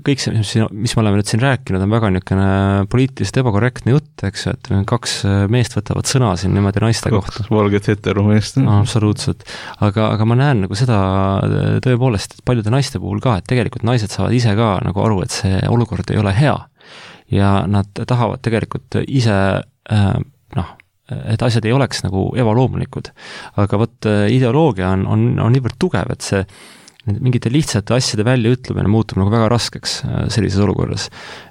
kõik see, mis me oleme nüüd siin rääkinud, on väga niisugune poliitiliselt ebakorrektne jutt, eks, et kaks meest võtavad sõna siin niimoodi naiste kohta. Kaks valget heteromeest. No, absoluutselt. Aga, aga ma näen nagu seda tõepoolest, et paljude naiste puhul ka, et tegelikult naised saavad ise ka nagu aru, et see olukord ei ole hea. Ja nad tahavad tegelikult ise, noh, et asjad ei oleks nagu ebaloomulikud. Aga võt ideoloogia on, on, on niivõrd tugev, et see mingite lihtsate asjade välja ütlemine muutub nagu väga raskeks sellises olukorras.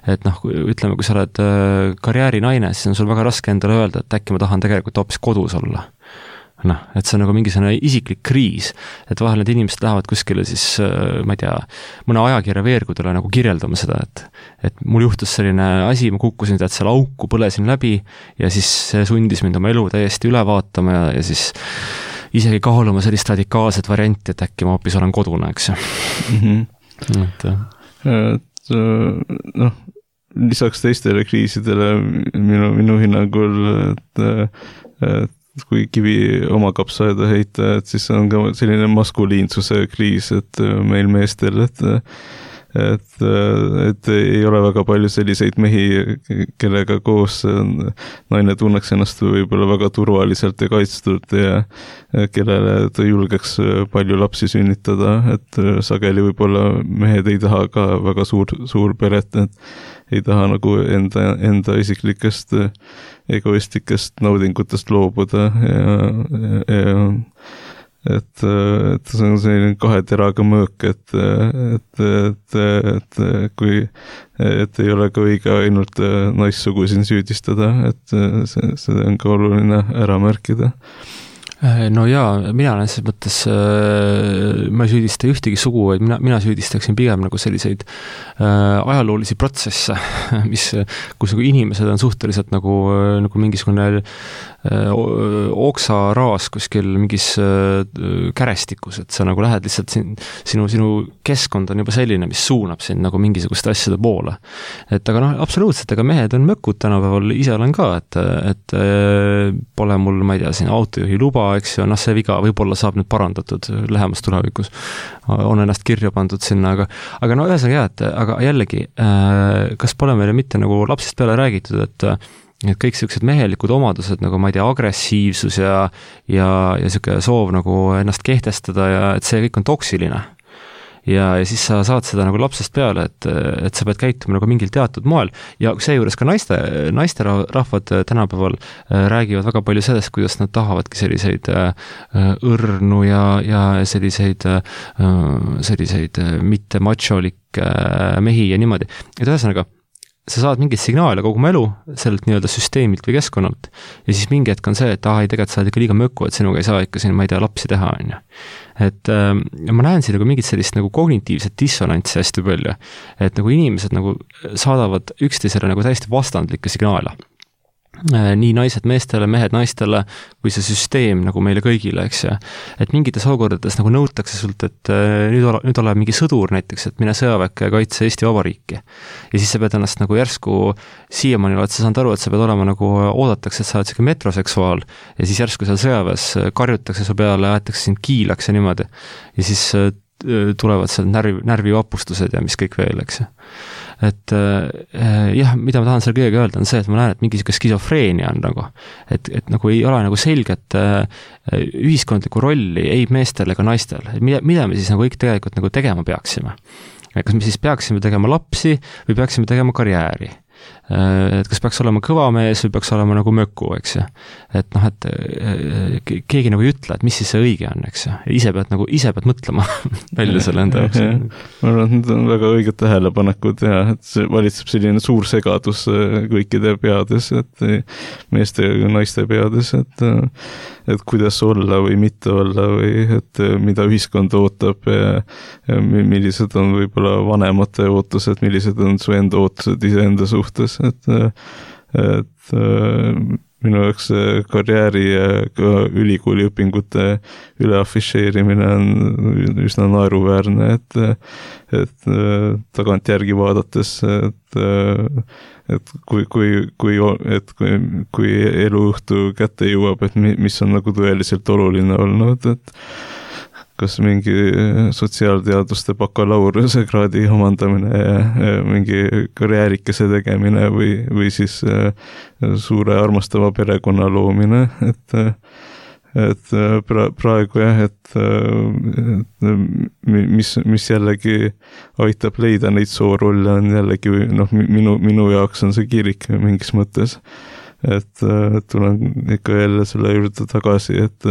Et noh, ütleme, kui sa oled karjäärinaine, siis on sul väga raske endale öelda, et äkki ma tahan tegelikult hoopis kodus olla. Noh, et see on nagu mingisugune isiklik kriis, et vahel need inimesed lähevad kuskile siis, ma ei tea, mõne ajakirja veergudele nagu kirjeldama seda, et, et mul juhtus selline asi, ma kukkusin tead seal auku, põlesin läbi ja siis see sundis mind oma elu täiesti üle vaatama ja, ja siis isegi kaaluma sellist radikaalset varianti, et äkki ma hoopis olen kodune, eks ju. Mm-hmm. et, et noh, lisaks teistele kriisidele minu, minu hinnangul, et, et kui kivi oma kapsaeda heita, et siis on ka selline maskuliinsuse kriis, et meil meestel, et et, et ei ole väga palju selliseid mehi, kellega koos naine tunneks ennast võib-olla väga turvaliselt ja kaitstud ja kellele ta julgeks palju lapsi sünnitada, et sageli võib-olla mehed ei taha ka väga suur, suur peret, et ei taha nagu enda, enda isiklikest egoistikest naudingutest loobuda ja, ja et, et see on selline kahe teraga mõõk, et, et, et, et kui, et ei ole ka õige ainult naissugu siin süüdistada, et see, see on ka oluline ära märkida. No jaa, mina olen selles mõttes, ma ei süüdista ühtegi sugu, vaid mina, mina süüdistaksin pigem nagu selliseid ajaloolisi protsesse, mis, kus nagu inimesed on suhteliselt nagu, nagu mingisugune oksaraas kuskil mingis kärestikus, et sa nagu lähed lihtsalt siin, sinu, sinu keskkond on juba selline, mis suunab sind nagu mingisuguste asjade poole. Et aga noh, absoluutselt, aga mehed on mökud tänapäeval, ise olen ka, et, et pole mul, ma ei tea, siin autojuhi luba, eks ju, noh, see viga võib-olla saab nüüd parandatud lähemas tulevikus. On ennast kirja pandud sinna, aga, aga no ühesõnaga jah, et aga jällegi, kas pole meile mitte nagu lapsest peale räägitud, et et kõik sellised mehelikud omadused, nagu ma ei tea, agressiivsus ja, ja, ja selline soov nagu ennast kehtestada ja et see kõik on toksiline. Ja, ja siis sa saad seda nagu lapsest peale, et, et sa pead käituma nagu mingil teatud moel ja seejuures ka naiste, naiste rahvad tänapäeval räägivad väga palju sellest, kuidas nad tahavadki selliseid õrnu ja, ja selliseid, selliseid mitte macholikke mehi ja niimoodi. Et ühesõnaga, sa saad mingit signaale kogu oma elu sellelt nii-öelda süsteemilt või keskkonnalt ja siis mingi hetk on see, et ah, ei tegelikult sa oled ikka liiga möku, et sinuga ei saa ikka siin, ma ei tea, lapsi teha, on ju. Et äh, ma näen siin nagu mingit sellist nagu kognitiivset dissonantsi hästi palju, et nagu inimesed nagu saadavad üksteisele nagu täiesti vastandlikke signaale. Nii naised meestele, mehed naistele, kui see süsteem nagu meile kõigile, eks ja. Et mingites olukordades nagu nõutakse sult, et nüüd ole, nüüd ole mingi sõdur näiteks, et mine sõjaväkke ja kaitse Eesti Vabariiki. Ja siis sa pead ennast nagu järsku siiamaani oled sa saanud aru, et sa pead olema nagu oodatakse, et sa oled selline metroseksuaal ja siis järsku seal sõjaväes karjutakse su peale, aetakse sind kiilaks ja niimoodi. Ja siis tulevad seal närvi, närvivapustused ja mis kõik veel, eks ja. Et äh, jah, mida ma tahan selle kõigega öelda on see, et ma näen, et mingi skisofreenia on nagu, et, et nagu ei ole nagu selget äh, ühiskondlikku rolli ei meestel ega naistel, et mida, mida me siis nagu kõik tegelikult nagu tegema peaksime. Kas me siis peaksime tegema lapsi või peaksime tegema karjääri? et kas peaks olema kõva mees või peaks olema nagu möku, eks ju. Et noh, et keegi nagu ei ütle, et mis siis see õige on, eks ju. Ise pead nagu, ise pead mõtlema välja selle enda jaoks. Ma arvan, et need on väga õiged tähelepanekud ja et see valitseb selline suur segadus kõikide peades, et meeste ja naiste peades, et, et kuidas olla või mitte olla või et mida ühiskond ootab ja, ja millised on võib-olla vanemate ootused, millised on su enda ootused iseenda suhtes, et, et minu jaoks karjääri ja ka ülikooli õpingute üle afišeerimine on üsna naeruväärne, et, et tagantjärgi vaadates, et, et kui, kui, kui, et kui, kui eluõhtu kätte jõuab, et mis on nagu tõeliselt oluline olnud, et kas mingi sotsiaalteaduste bakalaureuse kraadi omandamine ja, ja mingi karjäärikese tegemine või, või siis suure armastava perekonna loomine, et, et pra, praegu jah, et, et mis, mis jällegi aitab leida neid soorolle, on jällegi noh, minu, minu jaoks on see kirik mingis mõttes. Et, et tulen ikka jälle selle juurde tagasi, et,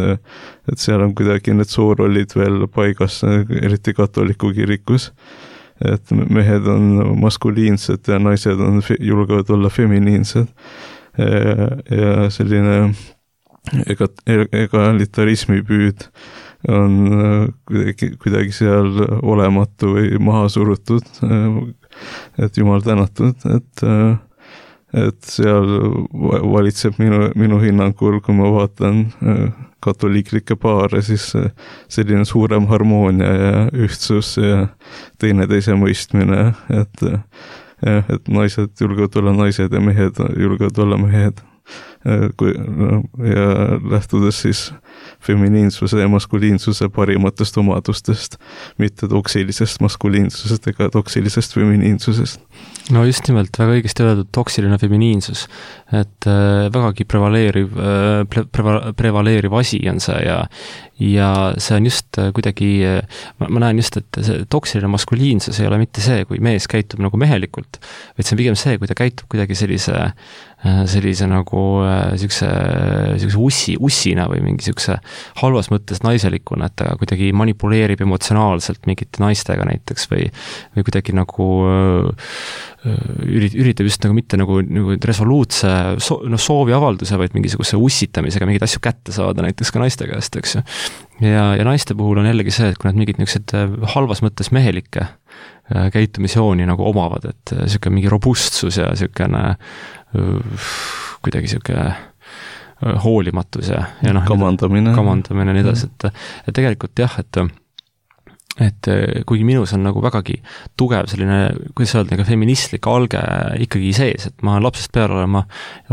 et seal on kuidagi need soorollid veel paigas, eriti katoliku kirikus, et mehed on maskuliinsed ja naised on, julgevad olla feminiinsed ja, ja selline ega, egalitarismi püüd on kuidagi, kuidagi seal olematu või maha surutud, et jumal tänatud, et et seal valitseb minu, minu hinnangul, kui ma vaatan katoliiklikke paare, siis selline suurem harmoonia ja ühtsus ja teineteise mõistmine, et, et naised julgevad olla naised ja mehed julgevad olla mehed. Kui, no, ja lähtudes siis feminiinsuse ja maskuliinsuse parimatest omadustest, mitte toksilisest maskuliinsusest ega toksilisest feminiinsusest. No just nimelt, väga õigesti öeldud toksiline feminiinsus, et äh, vägagi prevaleeriv, äh, pre, preva, prevaleeriv asi on see ja, ja see on just äh, kuidagi, äh, ma, ma näen just, et see toksiline maskuliinsus ei ole mitte see, kui mees käitub nagu mehelikult, vaid see on pigem see, kui ta käitub kuidagi sellise sellise nagu siukse, siukse ussi, ussina või mingi siukse halvas mõttes naiselikuna, et ta kuidagi manipuleerib emotsionaalselt mingite naistega näiteks või, või kuidagi nagu ürit, üritab just nagu mitte nagu, nagu resoluutse so, no, sooviavalduse, vaid mingisuguse ussitamisega mingeid asju kätte saada näiteks ka naiste käest, eks ju. Ja, ja naiste puhul on jällegi see, et kui nad mingid niisugused halvas mõttes mehelikke käitumisjooni nagu omavad, et siuke mingi robustsus ja siukene kuidagi siuke hoolimatus ja, ja noh, kamandamine, kamandamine ja nii edasi, et, et tegelikult jah, et et kuigi minus on nagu vägagi tugev selline, kuidas öelda, nagu feministlik alge ikkagi sees, et ma lapsest peale olema,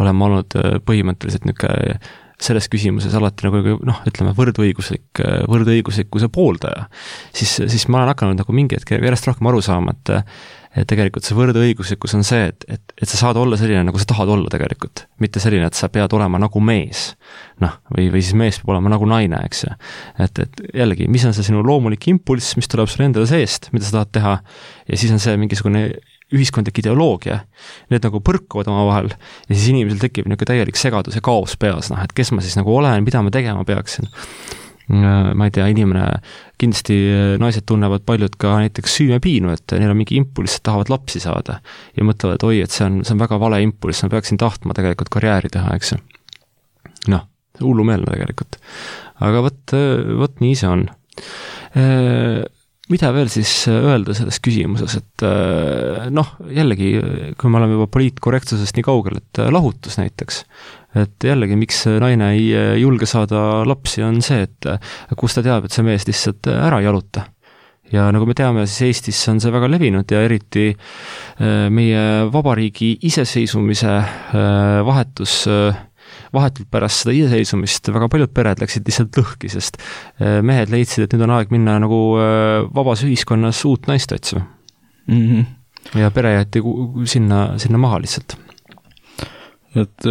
olema olnud põhimõtteliselt niisugune selles küsimuses alati nagu noh, ütleme võrdõiguslik, võrdõiguslikkuse pooldaja, siis, siis ma olen hakanud nagu mingi hetk järjest rohkem aru saama, et et tegelikult see võrdõiguslikkus on see, et, et, et sa saad olla selline, nagu sa tahad olla tegelikult. Mitte selline, et sa pead olema nagu mees. Noh, või, või siis mees peab olema nagu naine, eks ju. Et, et jällegi, mis on see sinu loomulik impulss, mis tuleb sulle endale seest, mida sa tahad teha, ja siis on see mingisugune ühiskondlik ideoloogia, need nagu põrkuvad oma vahel ja siis inimesel tekib niisugune täielik segadus ja kaos peas, noh, et kes ma siis nagu olen, mida ma tegema peaksin. Ma ei tea, inimene, kindlasti naised tunnevad paljud ka näiteks süümepiinu, et neil on mingi impulss, et tahavad lapsi saada ja mõtlevad, et oi, et see on, see on väga vale impulss, ma peaksin tahtma tegelikult karjääri teha, eks ju. Noh, hullumeelne tegelikult. Aga võt, võt nii see on. Mida veel siis öelda selles küsimuses, et noh, jällegi, kui me oleme juba poliitkorrektsusest nii kaugel, et lahutus näiteks, et jällegi, miks naine ei julge saada lapsi, on see, et kus ta teab, et see mees lihtsalt ära jaluta. Ja nagu me teame, siis Eestis on see väga levinud ja eriti meie vabariigi iseseisvumise vahetus vahetult pärast seda iseseisvumist väga paljud pered läksid lihtsalt lõhki, sest mehed leidsid, et nüüd on aeg minna nagu vabas ühiskonnas uut naist otsima. Mm-hmm. Ja pere jäeti sinna, sinna maha lihtsalt. Et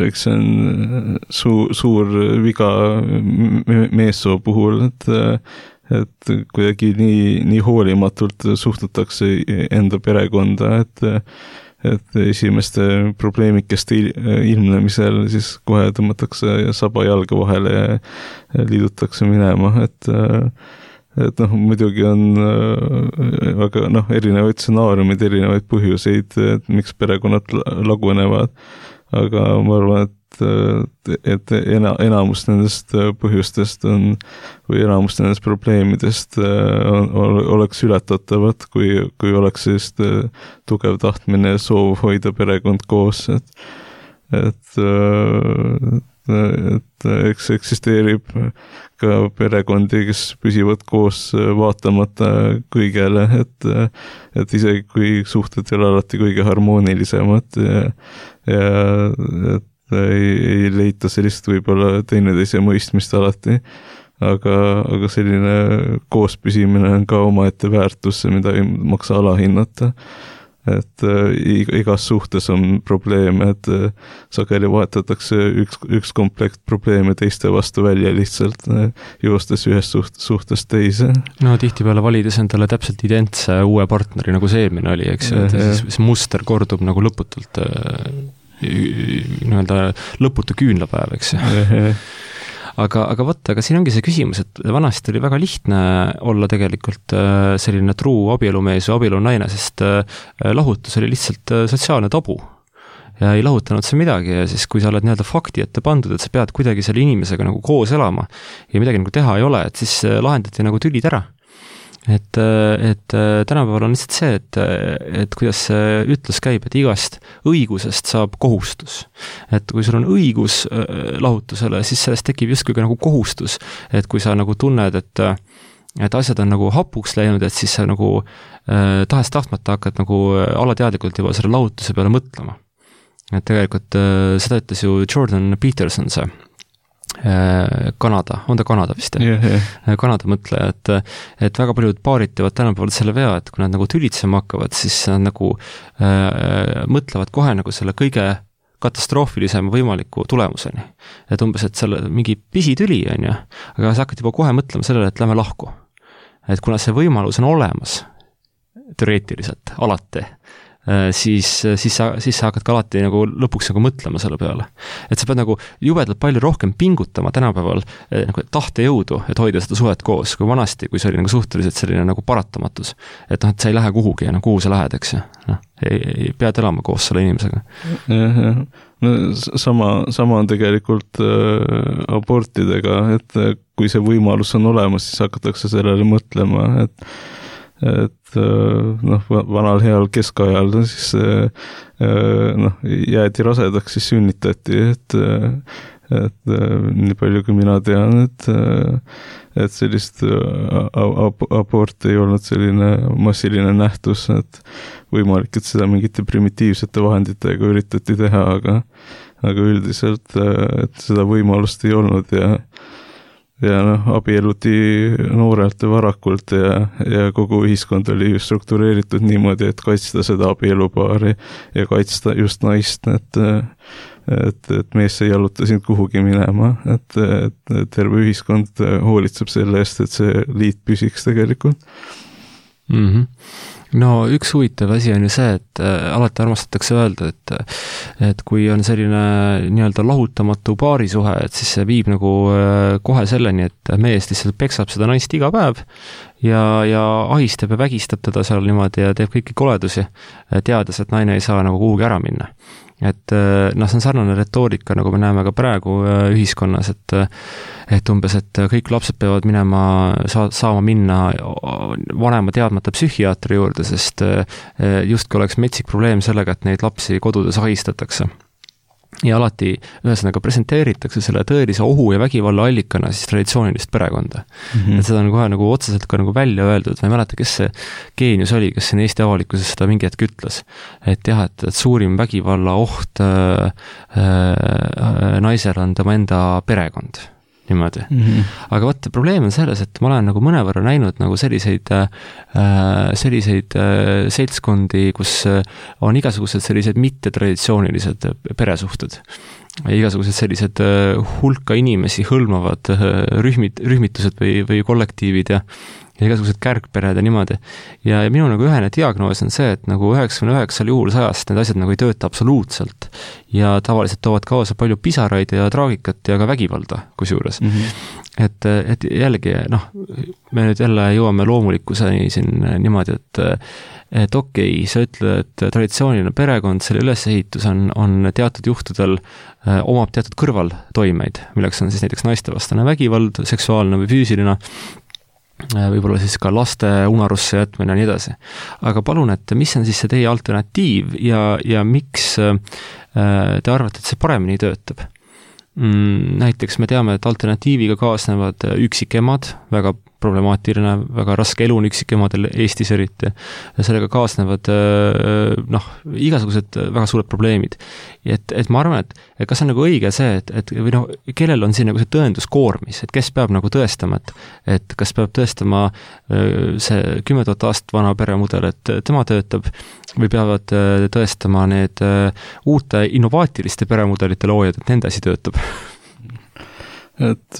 eks see on suur, suur viga meessoo puhul, et, et kuidagi nii, nii hoolimatult suhtutakse enda perekonda, et et esimeste probleemikeste ilmnemisel siis kohe tõmmatakse saba jalga vahele ja liidutakse minema, et et noh, muidugi on väga noh, erinevaid stsenaariumid, erinevaid põhjuseid, et miks perekonnad lagunevad, aga ma arvan, et et ena, enamus nendest põhjustest on või enamus nendest probleemidest on, oleks ületatavad, kui, kui oleks sellist tugev tahtmine ja soov hoida perekond koos, et et, et eks eksisteerib ka perekondi, kes püsivad koos vaatamata kõigele, et et isegi kui suhted ei ole alati kõige harmoonilisemad ja, ja et ei, ei leita sellist võib-olla teineteise mõistmist alati, aga, aga selline koospüsimine on ka omaette väärtus, mida ei maksa alahinnata. Et igas suhtes on probleeme, et sageli vahetatakse üks, üks komplekt probleeme teiste vastu välja lihtsalt joostes ühest suht, suhtest teise. No tihtipeale valides endale täpselt identse uue partneri, nagu see eelmine oli, eks, et siis, siis muster kordub nagu lõputult nii-öelda lõputu küünlapäev, eks aga, aga võtta, aga siin ongi see küsimus, et vanasti oli väga lihtne olla tegelikult selline truu abielumees või abielunaine, sest lahutus oli lihtsalt sotsiaalne tabu ja ei lahutanud see midagi ja siis, kui sa oled nii-öelda fakti ette pandud, et sa pead kuidagi selle inimesega nagu koos elama ja midagi nagu teha ei ole, et siis lahendati nagu tülid ära. Et, et tänapäeval on lihtsalt see, et, et kuidas see ütlus käib, et igast õigusest saab kohustus. Et kui sul on õigus lahutusele, siis sellest tekib justkui ka nagu kohustus, et kui sa nagu tunned, et, et asjad on nagu hapuks läinud, et siis sa nagu eh, tahes tahtmata hakkad nagu alateadlikult juba selle lahutuse peale mõtlema. Et tegelikult eh, seda ütles ju Jordan Peterson see Kanada, on ta Kanada vist? Yeah, yeah. Kanada mõtleja, et, et väga paljud paarid teevad tänapäeval selle vea, et kui nad nagu tülitsema hakkavad, siis nad nagu äh, mõtlevad kohe nagu selle kõige katastroofilisema võimaliku tulemuseni. Et umbes, et selle mingi pisitüli on ju, aga sa hakkad juba kohe mõtlema sellele, et lähme lahku. Et kuna see võimalus on olemas, teoreetiliselt, alati, siis, siis, sa, siis sa hakkad ka alati nagu lõpuks nagu mõtlema selle peale. Et sa pead nagu jubedalt palju rohkem pingutama tänapäeval nagu tahtejõudu, et hoida seda suhet koos, kui vanasti, kui see oli nagu suhteliselt selline nagu paratamatus. Et noh, et sa ei lähe kuhugi ja no kuhu sa lähed, eks ju. No, ei, ei pead elama koos selle inimesega. Jah, jah. No, sama, sama on tegelikult äh, abortidega, et kui see võimalus on olemas, siis hakatakse sellele mõtlema, et et noh, vanal heal keskajal siis noh, jäädi rasedaks, siis sünnitati, et et nii palju kui mina tean, et et sellist abort ei olnud selline massiline nähtus, et võimalik, et seda mingite primitiivsete vahenditega üritati teha, aga aga üldiselt, et seda võimalust ei olnud ja ja noh, abieluti noorelt ja varakult ja, ja kogu ühiskond oli struktureeritud niimoodi, et kaitsta seda abielupaari ja kaitsta just naist, et et, et mees ei jaluta sind kuhugi minema, et, et terve ühiskond hoolitseb selle eest, et see liit püsiks tegelikult. Mhm. No üks huvitav asi on ju see, et alati armastatakse öelda, et et kui on selline nii-öelda lahutamatu paarisuhe, et siis see viib nagu kohe selleni, et mees lihtsalt peksab seda naist iga päev ja, ja ahistab ja vägistab teda seal niimoodi ja teeb kõiki koledusi, teades, et naine ei saa nagu kuhugi ära minna. Et noh, see on sarnane retoorika, nagu me näeme ka praegu ühiskonnas, et et umbes, et kõik lapsed peavad minema, saa, saama minna vanema teadmata psühhiaatri juurde, sest justkui oleks metsik probleem sellega, et neid lapsi kodudes ahistatakse. Ja alati ühesõnaga presenteeritakse selle tõelise ohu ja vägivalla allikana siis traditsioonilist perekonda. Mm-hmm. Et seda on kohe nagu otseselt ka nagu välja öeldud, ma ei mäleta, kes see geenius oli, kes siin Eesti avalikkuses seda mingi hetk ütles. Et jah, et, et suurim vägivalla oht äh, äh, naisel on tema enda perekond. Niimoodi. Mm-hmm. Aga võtta, probleem on selles, et ma olen nagu mõnevõrra näinud nagu selliseid, äh, selliseid äh, seltskondi, kus on igasugused sellised mittetraditsioonilised peresuhted. igasugused sellised hulka inimesi hõlmavad rühmid, rühmitused või, või kollektiivid ja, ja igasugused kärgpered ja niimoodi. Ja, ja minu nagu ühene diagnoos on see, et nagu üheksakümne üheksal juhul sajast need asjad nagu ei tööta absoluutselt ja tavaliselt toovad kaasa palju pisaraid ja traagikat ja ka vägivalda kusjuures. Mm -hmm. Et, et jällegi, noh, me nüüd jälle jõuame loomulikkuseni siin niimoodi, et et okei, okay, sa ütled, et traditsiooniline perekond, selle ülesehitus on, on teatud juhtudel äh, omab teatud kõrvaltoimeid, milleks on siis näiteks naistevastane vägivald, seksuaalne või füüsiline, äh, võib-olla siis ka laste unarusse jätmine ja nii edasi. Aga palun, et mis on siis see teie alternatiiv ja, ja miks äh, te arvate, et see paremini töötab? Mm, näiteks me teame, et alternatiiviga kaasnevad üksikemad, väga problemaatiline, väga raske elu on üksikemadel Eestis eriti. Sellega kaasnevad noh, igasugused väga suured probleemid. Et, et ma arvan, et, et kas on nagu õige see, et, et või noh, kellel on siin nagu see tõenduskoormis, et kes peab nagu tõestama, et, et kas peab tõestama see kümme tuhat aastat vana peremudel, et tema töötab, või peavad tõestama need uute innovaatiliste peremudelite loojad, et nende asi töötab? Et,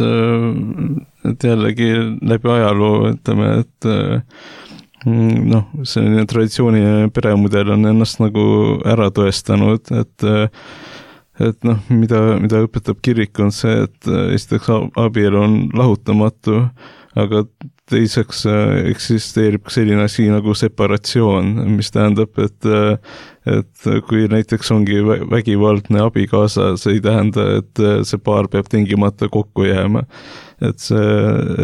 et jällegi läbi ajaloo, ütleme, et noh, selline traditsiooniline peremudel on ennast nagu ära tõestanud, et et noh, mida, mida õpetab kirik on see, et esiteks abielu on lahutamatu, aga teiseks eksisteerib selline asi nagu separatsioon, mis tähendab, et et kui näiteks ongi vägivaldne abikaasa, see ei tähenda, et see paar peab tingimata kokku jääma. Et see,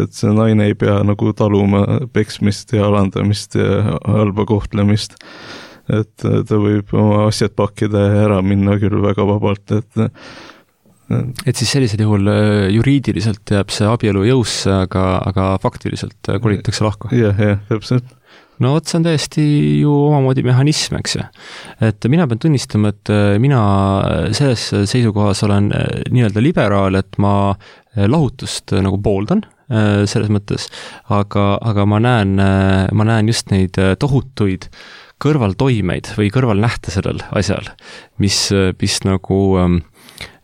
et see naine ei pea nagu taluma peksmist ja alandamist ja halba kohtlemist. Et ta võib oma asjad pakkida ja ära minna küll väga vabalt, et et siis sellisel juhul juriidiliselt jääb see abielu jõusse, aga, aga faktiliselt kolitakse lahku. Jah, jah, täpselt. No vot, see on täiesti ju omamoodi mehhanism, eks ju. Et mina pean tunnistama, et mina selles seisukohas olen nii-öelda liberaal, et ma lahutust nagu pooldan selles mõttes, aga, aga ma näen, ma näen just neid tohutuid kõrvaltoimeid või kõrvalnähte sellel asjal, mis, mis nagu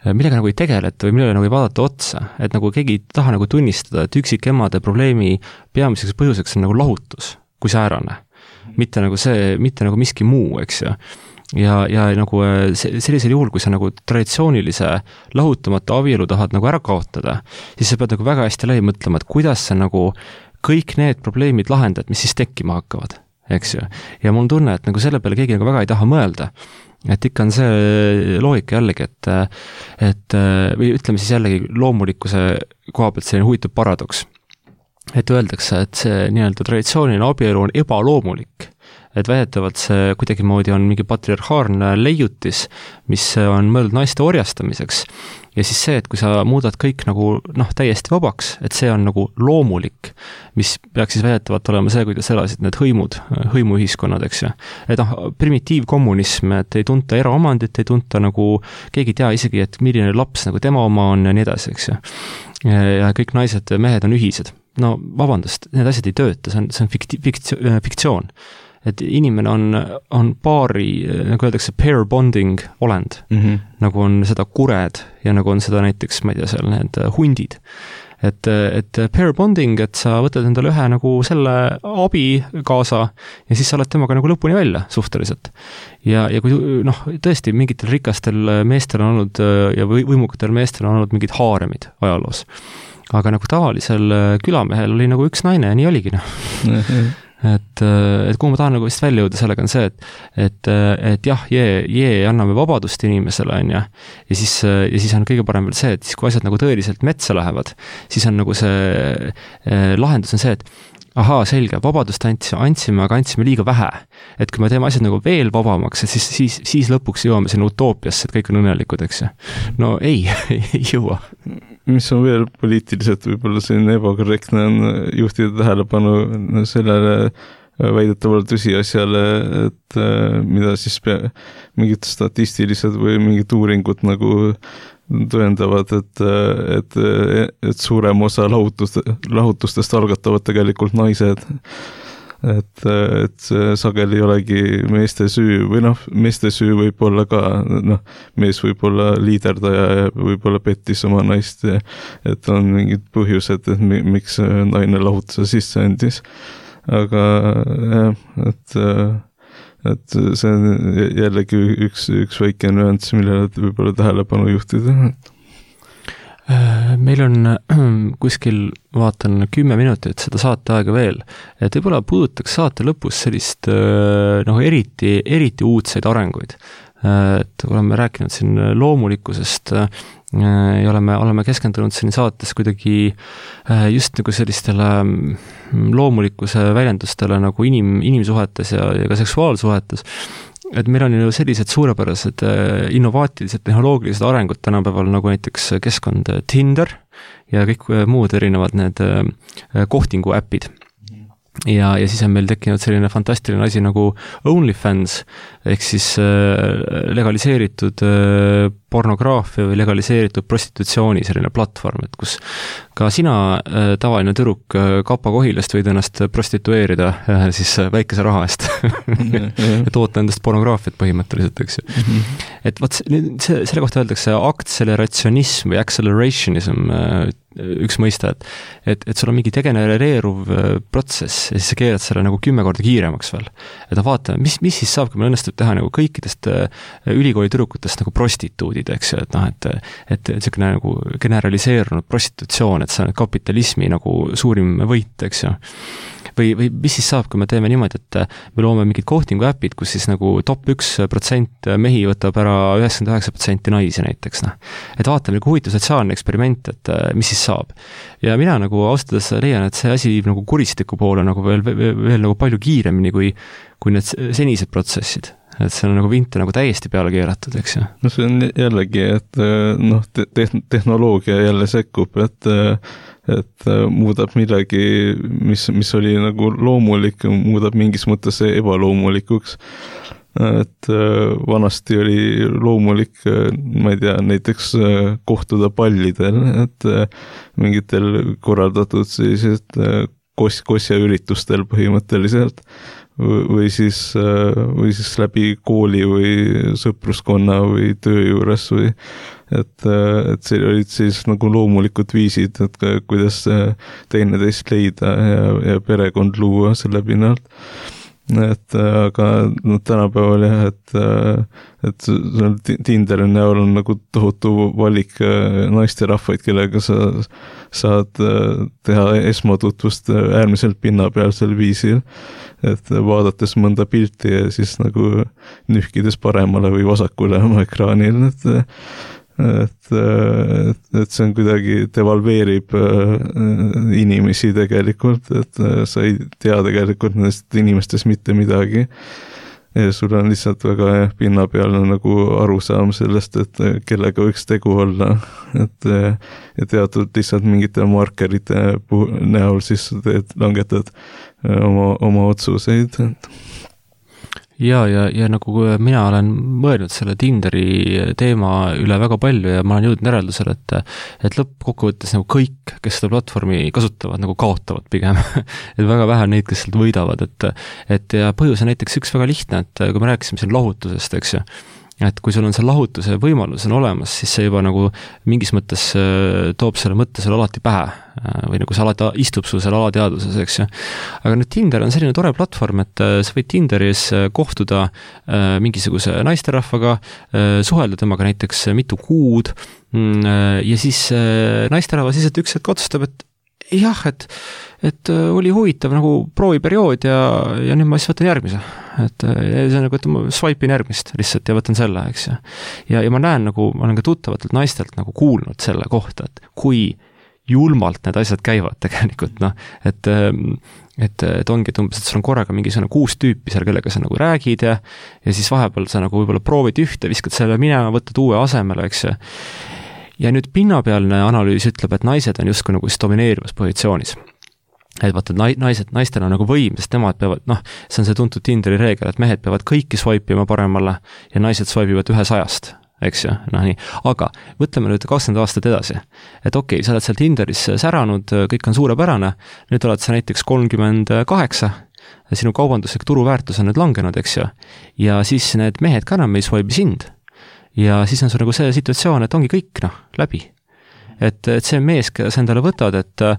millega nagu ei tegeleta või millele nagu ei vaadata otsa, et nagu keegi ei taha nagu tunnistada, et üksikemade probleemi peamiseks põhjuseks on nagu lahutus kui säärane, mitte nagu see, mitte nagu miski muu, eks ju. Ja, ja nagu sellisel juhul, kui sa nagu traditsioonilise lahutamata abielu tahad nagu ära kaotada, siis sa pead nagu väga hästi läbi mõtlema, et kuidas sa nagu kõik need probleemid lahendad, mis siis tekkima hakkavad, eks ju. Ja mul on tunne, et nagu selle peale keegi nagu väga ei taha mõelda. Et ikka on see loogika jällegi, et, et või ütleme siis jällegi loomulikkuse koha pealt selline huvitav paradoks. Et öeldakse, et see nii-öelda traditsiooniline abielu on ebaloomulik, et väidetavalt see kuidagi moodi on mingi patriarhaalne leiutis, mis on mõeldud naiste orjastamiseks. Ja siis see, et kui sa muudad kõik nagu noh, täiesti vabaks, et see on nagu loomulik, mis peaks siis väidetavalt olema see, kuidas elasid need hõimud, hõimuühiskonnad, eks ju. Et noh, primitiivkommunism, et ei tunta eraomandit, ei tunta nagu, keegi ei tea isegi, et milline laps nagu tema oma on ja nii edasi, eks ju. Ja kõik naised ja mehed on ühised. No vabandust, need asjad ei tööta, see on, see on fikti, fikti, fiktsioon. Et inimene on, on paari, nagu öeldakse, pair bonding olend, mm -hmm. nagu on seda kured ja nagu on seda näiteks, ma ei tea, seal need hundid. Et, et pair bonding, et sa võtad endale ühe nagu selle abi kaasa ja siis sa oled temaga nagu lõpuni välja suhteliselt. Ja, ja kui noh, tõesti mingitel rikastel meestel on olnud ja võimukatel meestel on olnud mingid haaremid ajaloos. Aga nagu tavalisel külamehel oli nagu üks naine ja nii oligi, noh. Et, et kuhu ma tahan nagu vist välja jõuda sellega on see, et, et, et jah, jee, jee, anname vabadust inimesele, on ja, ja siis, ja siis on kõige parem veel see, et siis kui asjad nagu tõeliselt metsa lähevad, siis on nagu see lahendus on see, et ahaa, selge, vabadust andsime, aga andsime liiga vähe. Et kui me teeme asjad nagu veel vabamaks, et siis, siis, siis lõpuks jõuame sinna utoopiasse, et kõik on õnnelikud, eks ju. No ei, ei jõua. Mis on veel poliitiliselt võib-olla selline ebakorrektne on juhtida tähelepanu sellele väidetavale tõsiasjale, et mida siis pea, mingid statistilised või mingid uuringud nagu tõendavad, et, et, et suurem osa lahutust, lahutustest algatavad tegelikult naised. et, et see sageli ei olegi meeste süü või noh, meeste süü võib olla ka, noh, mees võib olla liiderdaja ja võib-olla pettis oma naist ja et on mingid põhjused, et miks naine lahutuse sisse andis. Aga jah, et, et see on jällegi üks, üks väike nüanss, millele võib-olla tähelepanu juhtida. Meil on kuskil, vaatan, kümme minutit seda saateaega veel, et võib-olla puudutaks saate lõpus sellist noh, eriti, eriti uudseid arenguid. Et oleme rääkinud siin loomulikkusest ja oleme, oleme keskendunud siin saates kuidagi just nagu sellistele loomulikkuse väljendustele nagu inim, inimsuhetes ja, ja ka seksuaalsuhetes. Et meil on ju sellised suurepärased innovaatilised tehnoloogilised arengud tänapäeval, nagu näiteks keskkond Tinder ja kõik muud erinevad need kohtingu äpid. Ja, ja siis on meil tekkinud selline fantastiline asi nagu OnlyFans, ehk siis legaliseeritud pornograafia või legaliseeritud prostitutsiooni selline platvorm, et kus ka sina, tavaline tüdruk Kapa Kohilast võid ennast prostitueerida siis väikese raha eest ja toota endast pornograafiat põhimõtteliselt, eks ju. Et vaat see, selle kohta öeldakse aktselerationism või accelerationism, üks mõista, et, et, et sul on mingi degenereeruv protsess ja siis sa keerad selle nagu kümme korda kiiremaks veel. Et vaatame, mis, mis siis saab, kui meil õnnestub teha nagu kõikidest ülikooli tüdrukutest nagu prostituudid, eks ju, et noh, et, et selline nagu generaliseerunud prostitutsioon, et see on kapitalismi nagu suurim võit, eks ju. Või, või mis siis saab, kui me teeme niimoodi, et me loome mingid kohtingu äpid, kus siis nagu top üks protsent mehi võtab ära üheksakümmend üheksa protsenti naisi näiteks, noh. Et vaatame, kui huvitav sotsiaalne eksperiment, et mis siis saab. Ja mina nagu austades leian, et see asi nagu kuristiku poole nagu veel, veel, veel nagu palju kiiremini kui, kui need senised protsessid. Et see on nagu vinte nagu täiesti peale keeratud, eks ju. No see on jällegi, et noh, te- tehnoloogia jälle sekkub, et et muudab midagi, mis, mis oli nagu loomulik, muudab mingis mõttes ebaloomulikuks. Et vanasti oli loomulik, ma ei tea, näiteks kohtuda pallidel, et mingitel korraldatud sellised kos- kosjaüritustel põhimõtteliselt või siis, või siis läbi kooli või sõpruskonna või töö juures või et, et see olid siis nagu loomulikud viisid, et kuidas teineteist leida ja, ja perekond luua selle pinnalt. Et aga no, tänapäeval jah, et, et Tinderi näol on nagu tohutu valik naisterahvaid, kellega sa saad teha esmatutvust äärmiselt pinnapealsel viisil, et vaadates mõnda pilti ja siis nagu nühkides paremale või vasakule oma ekraanil, et et, et, et see on kuidagi devalveerib inimesi tegelikult, et sa ei tea tegelikult nendest inimestest mitte midagi ja sul on lihtsalt väga pinnapealne nagu arusaam sellest, et kellega võiks tegu olla, et ja teatud lihtsalt mingite markerite näol siis teed, langetad oma, oma otsuseid, et ja, ja, ja nagu mina olen mõelnud selle Tinderi teema üle väga palju ja ma olen jõudnud järeldusele, et, et lõppkokkuvõttes nagu kõik, kes seda platvormi kasutavad, nagu kaotavad pigem. Et väga vähe neid, kes sealt võidavad, et, et ja põhjus on näiteks üks väga lihtne, et kui me rääkisime siin lahutusest, eks ju, et kui sul on see lahutuse võimalus on olemas, siis see juba nagu mingis mõttes toob selle mõtte selle alati pähe või nagu see alati istub sul selle alateadvuses, eks ju. Aga nüüd Tinder on selline tore platvorm, et sa võid Tinderis kohtuda mingisuguse naisterahvaga, suhelda temaga näiteks mitu kuud ja siis naisterahvas lihtsalt üks hetk otsustab, et jah, et, et oli huvitav nagu prooviperiood ja, ja nüüd ma siis võtan järgmise. Et see on nagu, et ma swipe'in järgmist lihtsalt ja võtan selle, eks ju. Ja, ja ma näen nagu, ma olen ka tuttavatelt naistelt nagu kuulnud selle kohta, et kui julmalt need asjad käivad tegelikult, noh, et, et, et ongi, et umbes, et sul on korraga mingisugune kuus tüüpi seal, kellega sa nagu räägid ja, ja siis vahepeal sa nagu võib-olla proovid ühte, viskad selle minema, võtad uue asemele, eks ju. Ja nüüd pinnapealne analüüs ütleb, et naised on justkui nagu domineerivas positsioonis. Et vaata, naised, naistel on nagu võim, sest nemad peavad, noh, see on see tuntud Tinderi reegel, et mehed peavad kõiki swipe'ima paremale ja naised swipe'ivad ühe sajast, eks ju, noh nii. Aga võtleme nüüd kakskümmend aastat edasi. Et okei, sa oled seal Tinderis säranud, kõik on suurepärane, nüüd oled sa näiteks kolmkümmend kaheksa sinu kaubanduslik turuväärtus on nüüd langenud, eks ju, ja siis need mehed ka enam ei swipe sind. Ja siis on sul nagu see situatsioon, et ongi kõik, noh, läbi. Et, et see mees, kes sa endale võtad, et äh,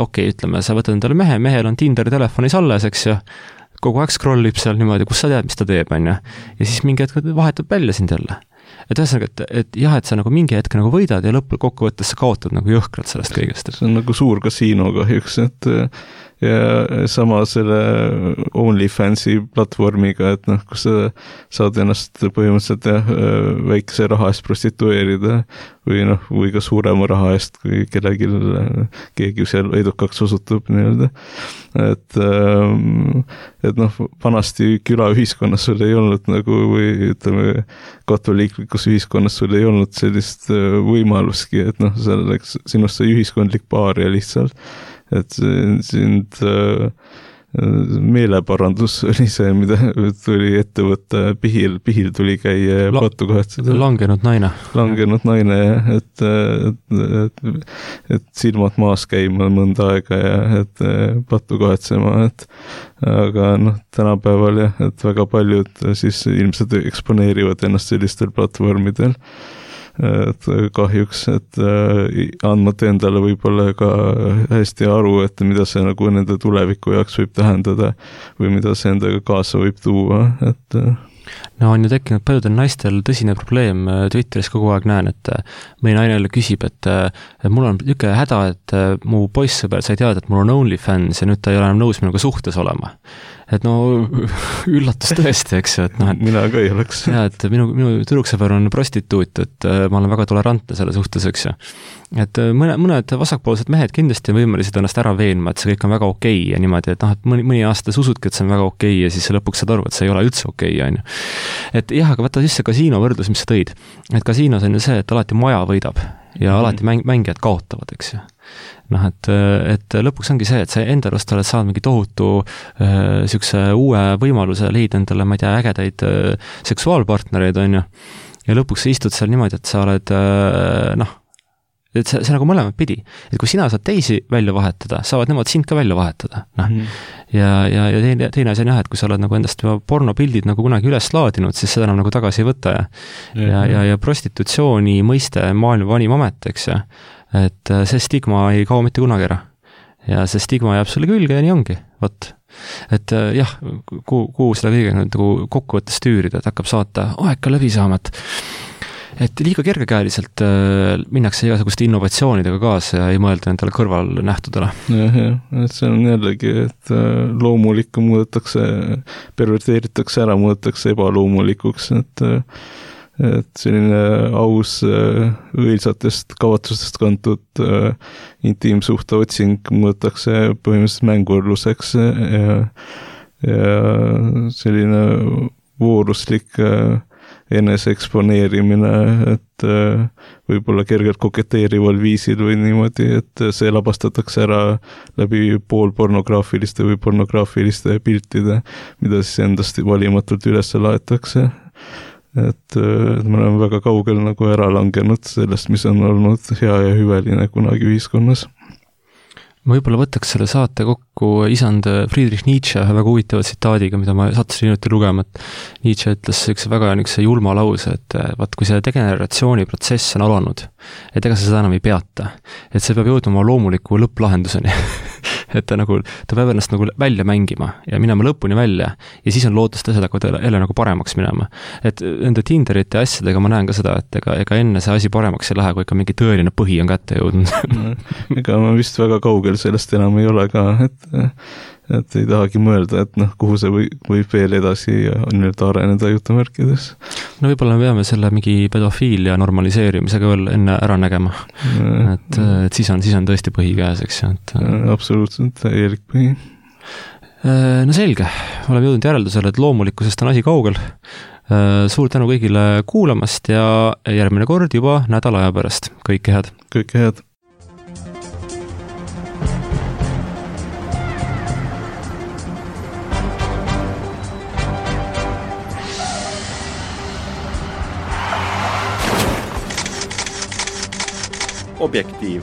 okei, okay, ütleme, sa võtad endale mehe, mehel on Tinderi telefonis alles, eks ju, kogu aeg scrollib seal niimoodi, kus sa tead, mis ta teeb, on ju. Ja siis mingi hetk vahetab välja sind jälle. Et ühesõnaga, et, et jah, et sa nagu mingi hetk nagu võidad ja lõpul kokkuvõttes sa kaotad nagu jõhkralt sellest kõigest. See on nagu suur kasiino kahjuks, et ja sama selle OnlyFansi platvormiga, et noh, kus sa saad ennast põhimõtteliselt jah, väikese raha eest prostitueerida või noh, või ka suurema raha eest, kui kellegi keegi seal edukaks osutub nii-öelda. Et, et noh, vanasti külaühiskonnas sul ei olnud nagu, või ütleme, katoliiklikus ühiskonnas sul ei olnud sellist võimaluski, et noh, seal läks, sinust sai ühiskondlik paaria lihtsalt. Et sind äh, meeleparandus oli see, mida tuli ette võtta, pihil, pihil tuli käia La, pattu kahtseda. Langenud naine. Langenud naine, et, et, et, et silmad maas käima mõnda aega ja et pattu kahetsema, et aga noh, tänapäeval jah, et väga paljud siis ilmselt eksponeerivad ennast sellistel platvormidel. Et kahjuks, et andmata endale võib-olla ka hästi aru, et mida see nagu nende tuleviku jaoks võib tähendada või mida see endaga kaasa võib tuua, et no on ju tekkinud paljudel naistel tõsine probleem, Twitteris kogu aeg näen, et mõni naine jälle küsib, et, et mul on niisugune häda, et mu poissõber sai teada, et mul on OnlyFans ja nüüd ta ei ole enam nõus minuga suhtes olema. Et no üllatus tõesti, eks ju, et noh, et mina ka ei oleks. Ja, et minu, minu tüdruksõber on prostituut, et ma olen väga tolerantne selle suhtes, eks ju. Et mõne, mõned vasakpoolsed mehed kindlasti on võimelised ennast ära veenma, et see kõik on väga okei ja niimoodi, et noh, et mõni, mõni aasta usudki, et see on väga okei ja siis lõpuks saad aru, et see ei ole üldse okei, on ju. Et jah, aga võtta siis see kasiino võrdlus, mis sa tõid. Et kasiinos on ju see, et alati maja võidab ja mm-hmm. alati mäng, mängijad kaotavad, eks ju. Noh, et, et lõpuks ongi see, et sa enda arust oled saanud mingi tohutu äh, sükse uue võimaluse leida endale, ma ei tea, ägedaid äh, seksuaalpartnereid, on ju. Ja lõpuks sa istud seal niimoodi, et sa oled äh, noh, et see, see nagu mõlemad pidi. Et kui sina saad teisi välja vahetada, saavad nemad sind ka välja vahetada. Noh. Mm. Ja, ja, ja teine, teine asi on jah, et kui sa oled nagu endast juba pornopildid nagu kunagi üles laadinud, siis seda enam nagu tagasi ei võta. Ja, mm. ja, ja, ja prostitutsiooni mõiste maailma vanim amet, eks ja. Et see stigma ei kao mitte kunagi ära. Ja see stigma jääb sulle külge ja nii ongi. Võt. Et jah, kuhu, kuhu seda kõige nagu kokkuvõttes tüürida, et hakkab saata aega läbi saama, et et liiga kergekäeliselt äh, minnakse igasuguste innovatsioonidega kaasa ja ei mõelda nendele kõrvalnähtudele. Jah, jah, et see on jällegi, et äh, loomulikku muudetakse, perverteeritakse ära, muudetakse ebaloomulikuks, et äh, et selline aus äh, õilsatest kavatsustest kantud äh, intiimsuhte otsing muudetakse põhimõtteliselt mängurluseks ja, ja selline vooruslik äh, enese eksponeerimine, et äh, võib-olla kergelt koketeerival viisil või niimoodi, et see labastatakse ära läbi poolpornograafiliste või pornograafiliste piltide, mida siis endast valimatult üles laetakse. Et, et me oleme väga kaugel nagu ära langenud sellest, mis on olnud hea ja hüveline kunagi ühiskonnas. Ma võib-olla võtaks selle saate kokku isand Friedrich Nietzsche ühe väga huvitava tsitaadiga, mida ma sattusin hiljuti lugema, et Nietzsche ütles üks väga niisuguse julma lause, et vaat kui see degeneratsiooni protsess on alanud, et ega sa seda enam ei peata, et see peab jõudma oma loomuliku lõpplahenduseni. Et ta nagu, ta peab ennast nagu välja mängima ja minema lõpuni välja ja siis on lootust asjad hakkavad jälle nagu paremaks minema. Et nende Tinderite asjadega ma näen ka seda, et ega, ega enne see asi paremaks ei lähe, kui ikka mingi tõeline põhi on kätte jõudnud. Ega ma vist väga kaugel sellest enam ei ole ka, et et ei tahagi mõelda, et noh, kuhu see või, võib veel edasi ja nüüd areneda jutumärkides. No võib-olla me peame selle mingi pedofiilia normaliseerimisega veel enne ära nägema. Et, et siis on, siis on tõesti põhi käes, eks ju. Et... absoluutselt, täielik põhi. No selge, oleme jõudnud järeldusele, et loomulikkusest on asi kaugel. Suur tänu kõigile kuulamast ja järgmine kord juba nädala aja pärast. Kõike head. Kõike head. Objektiiv.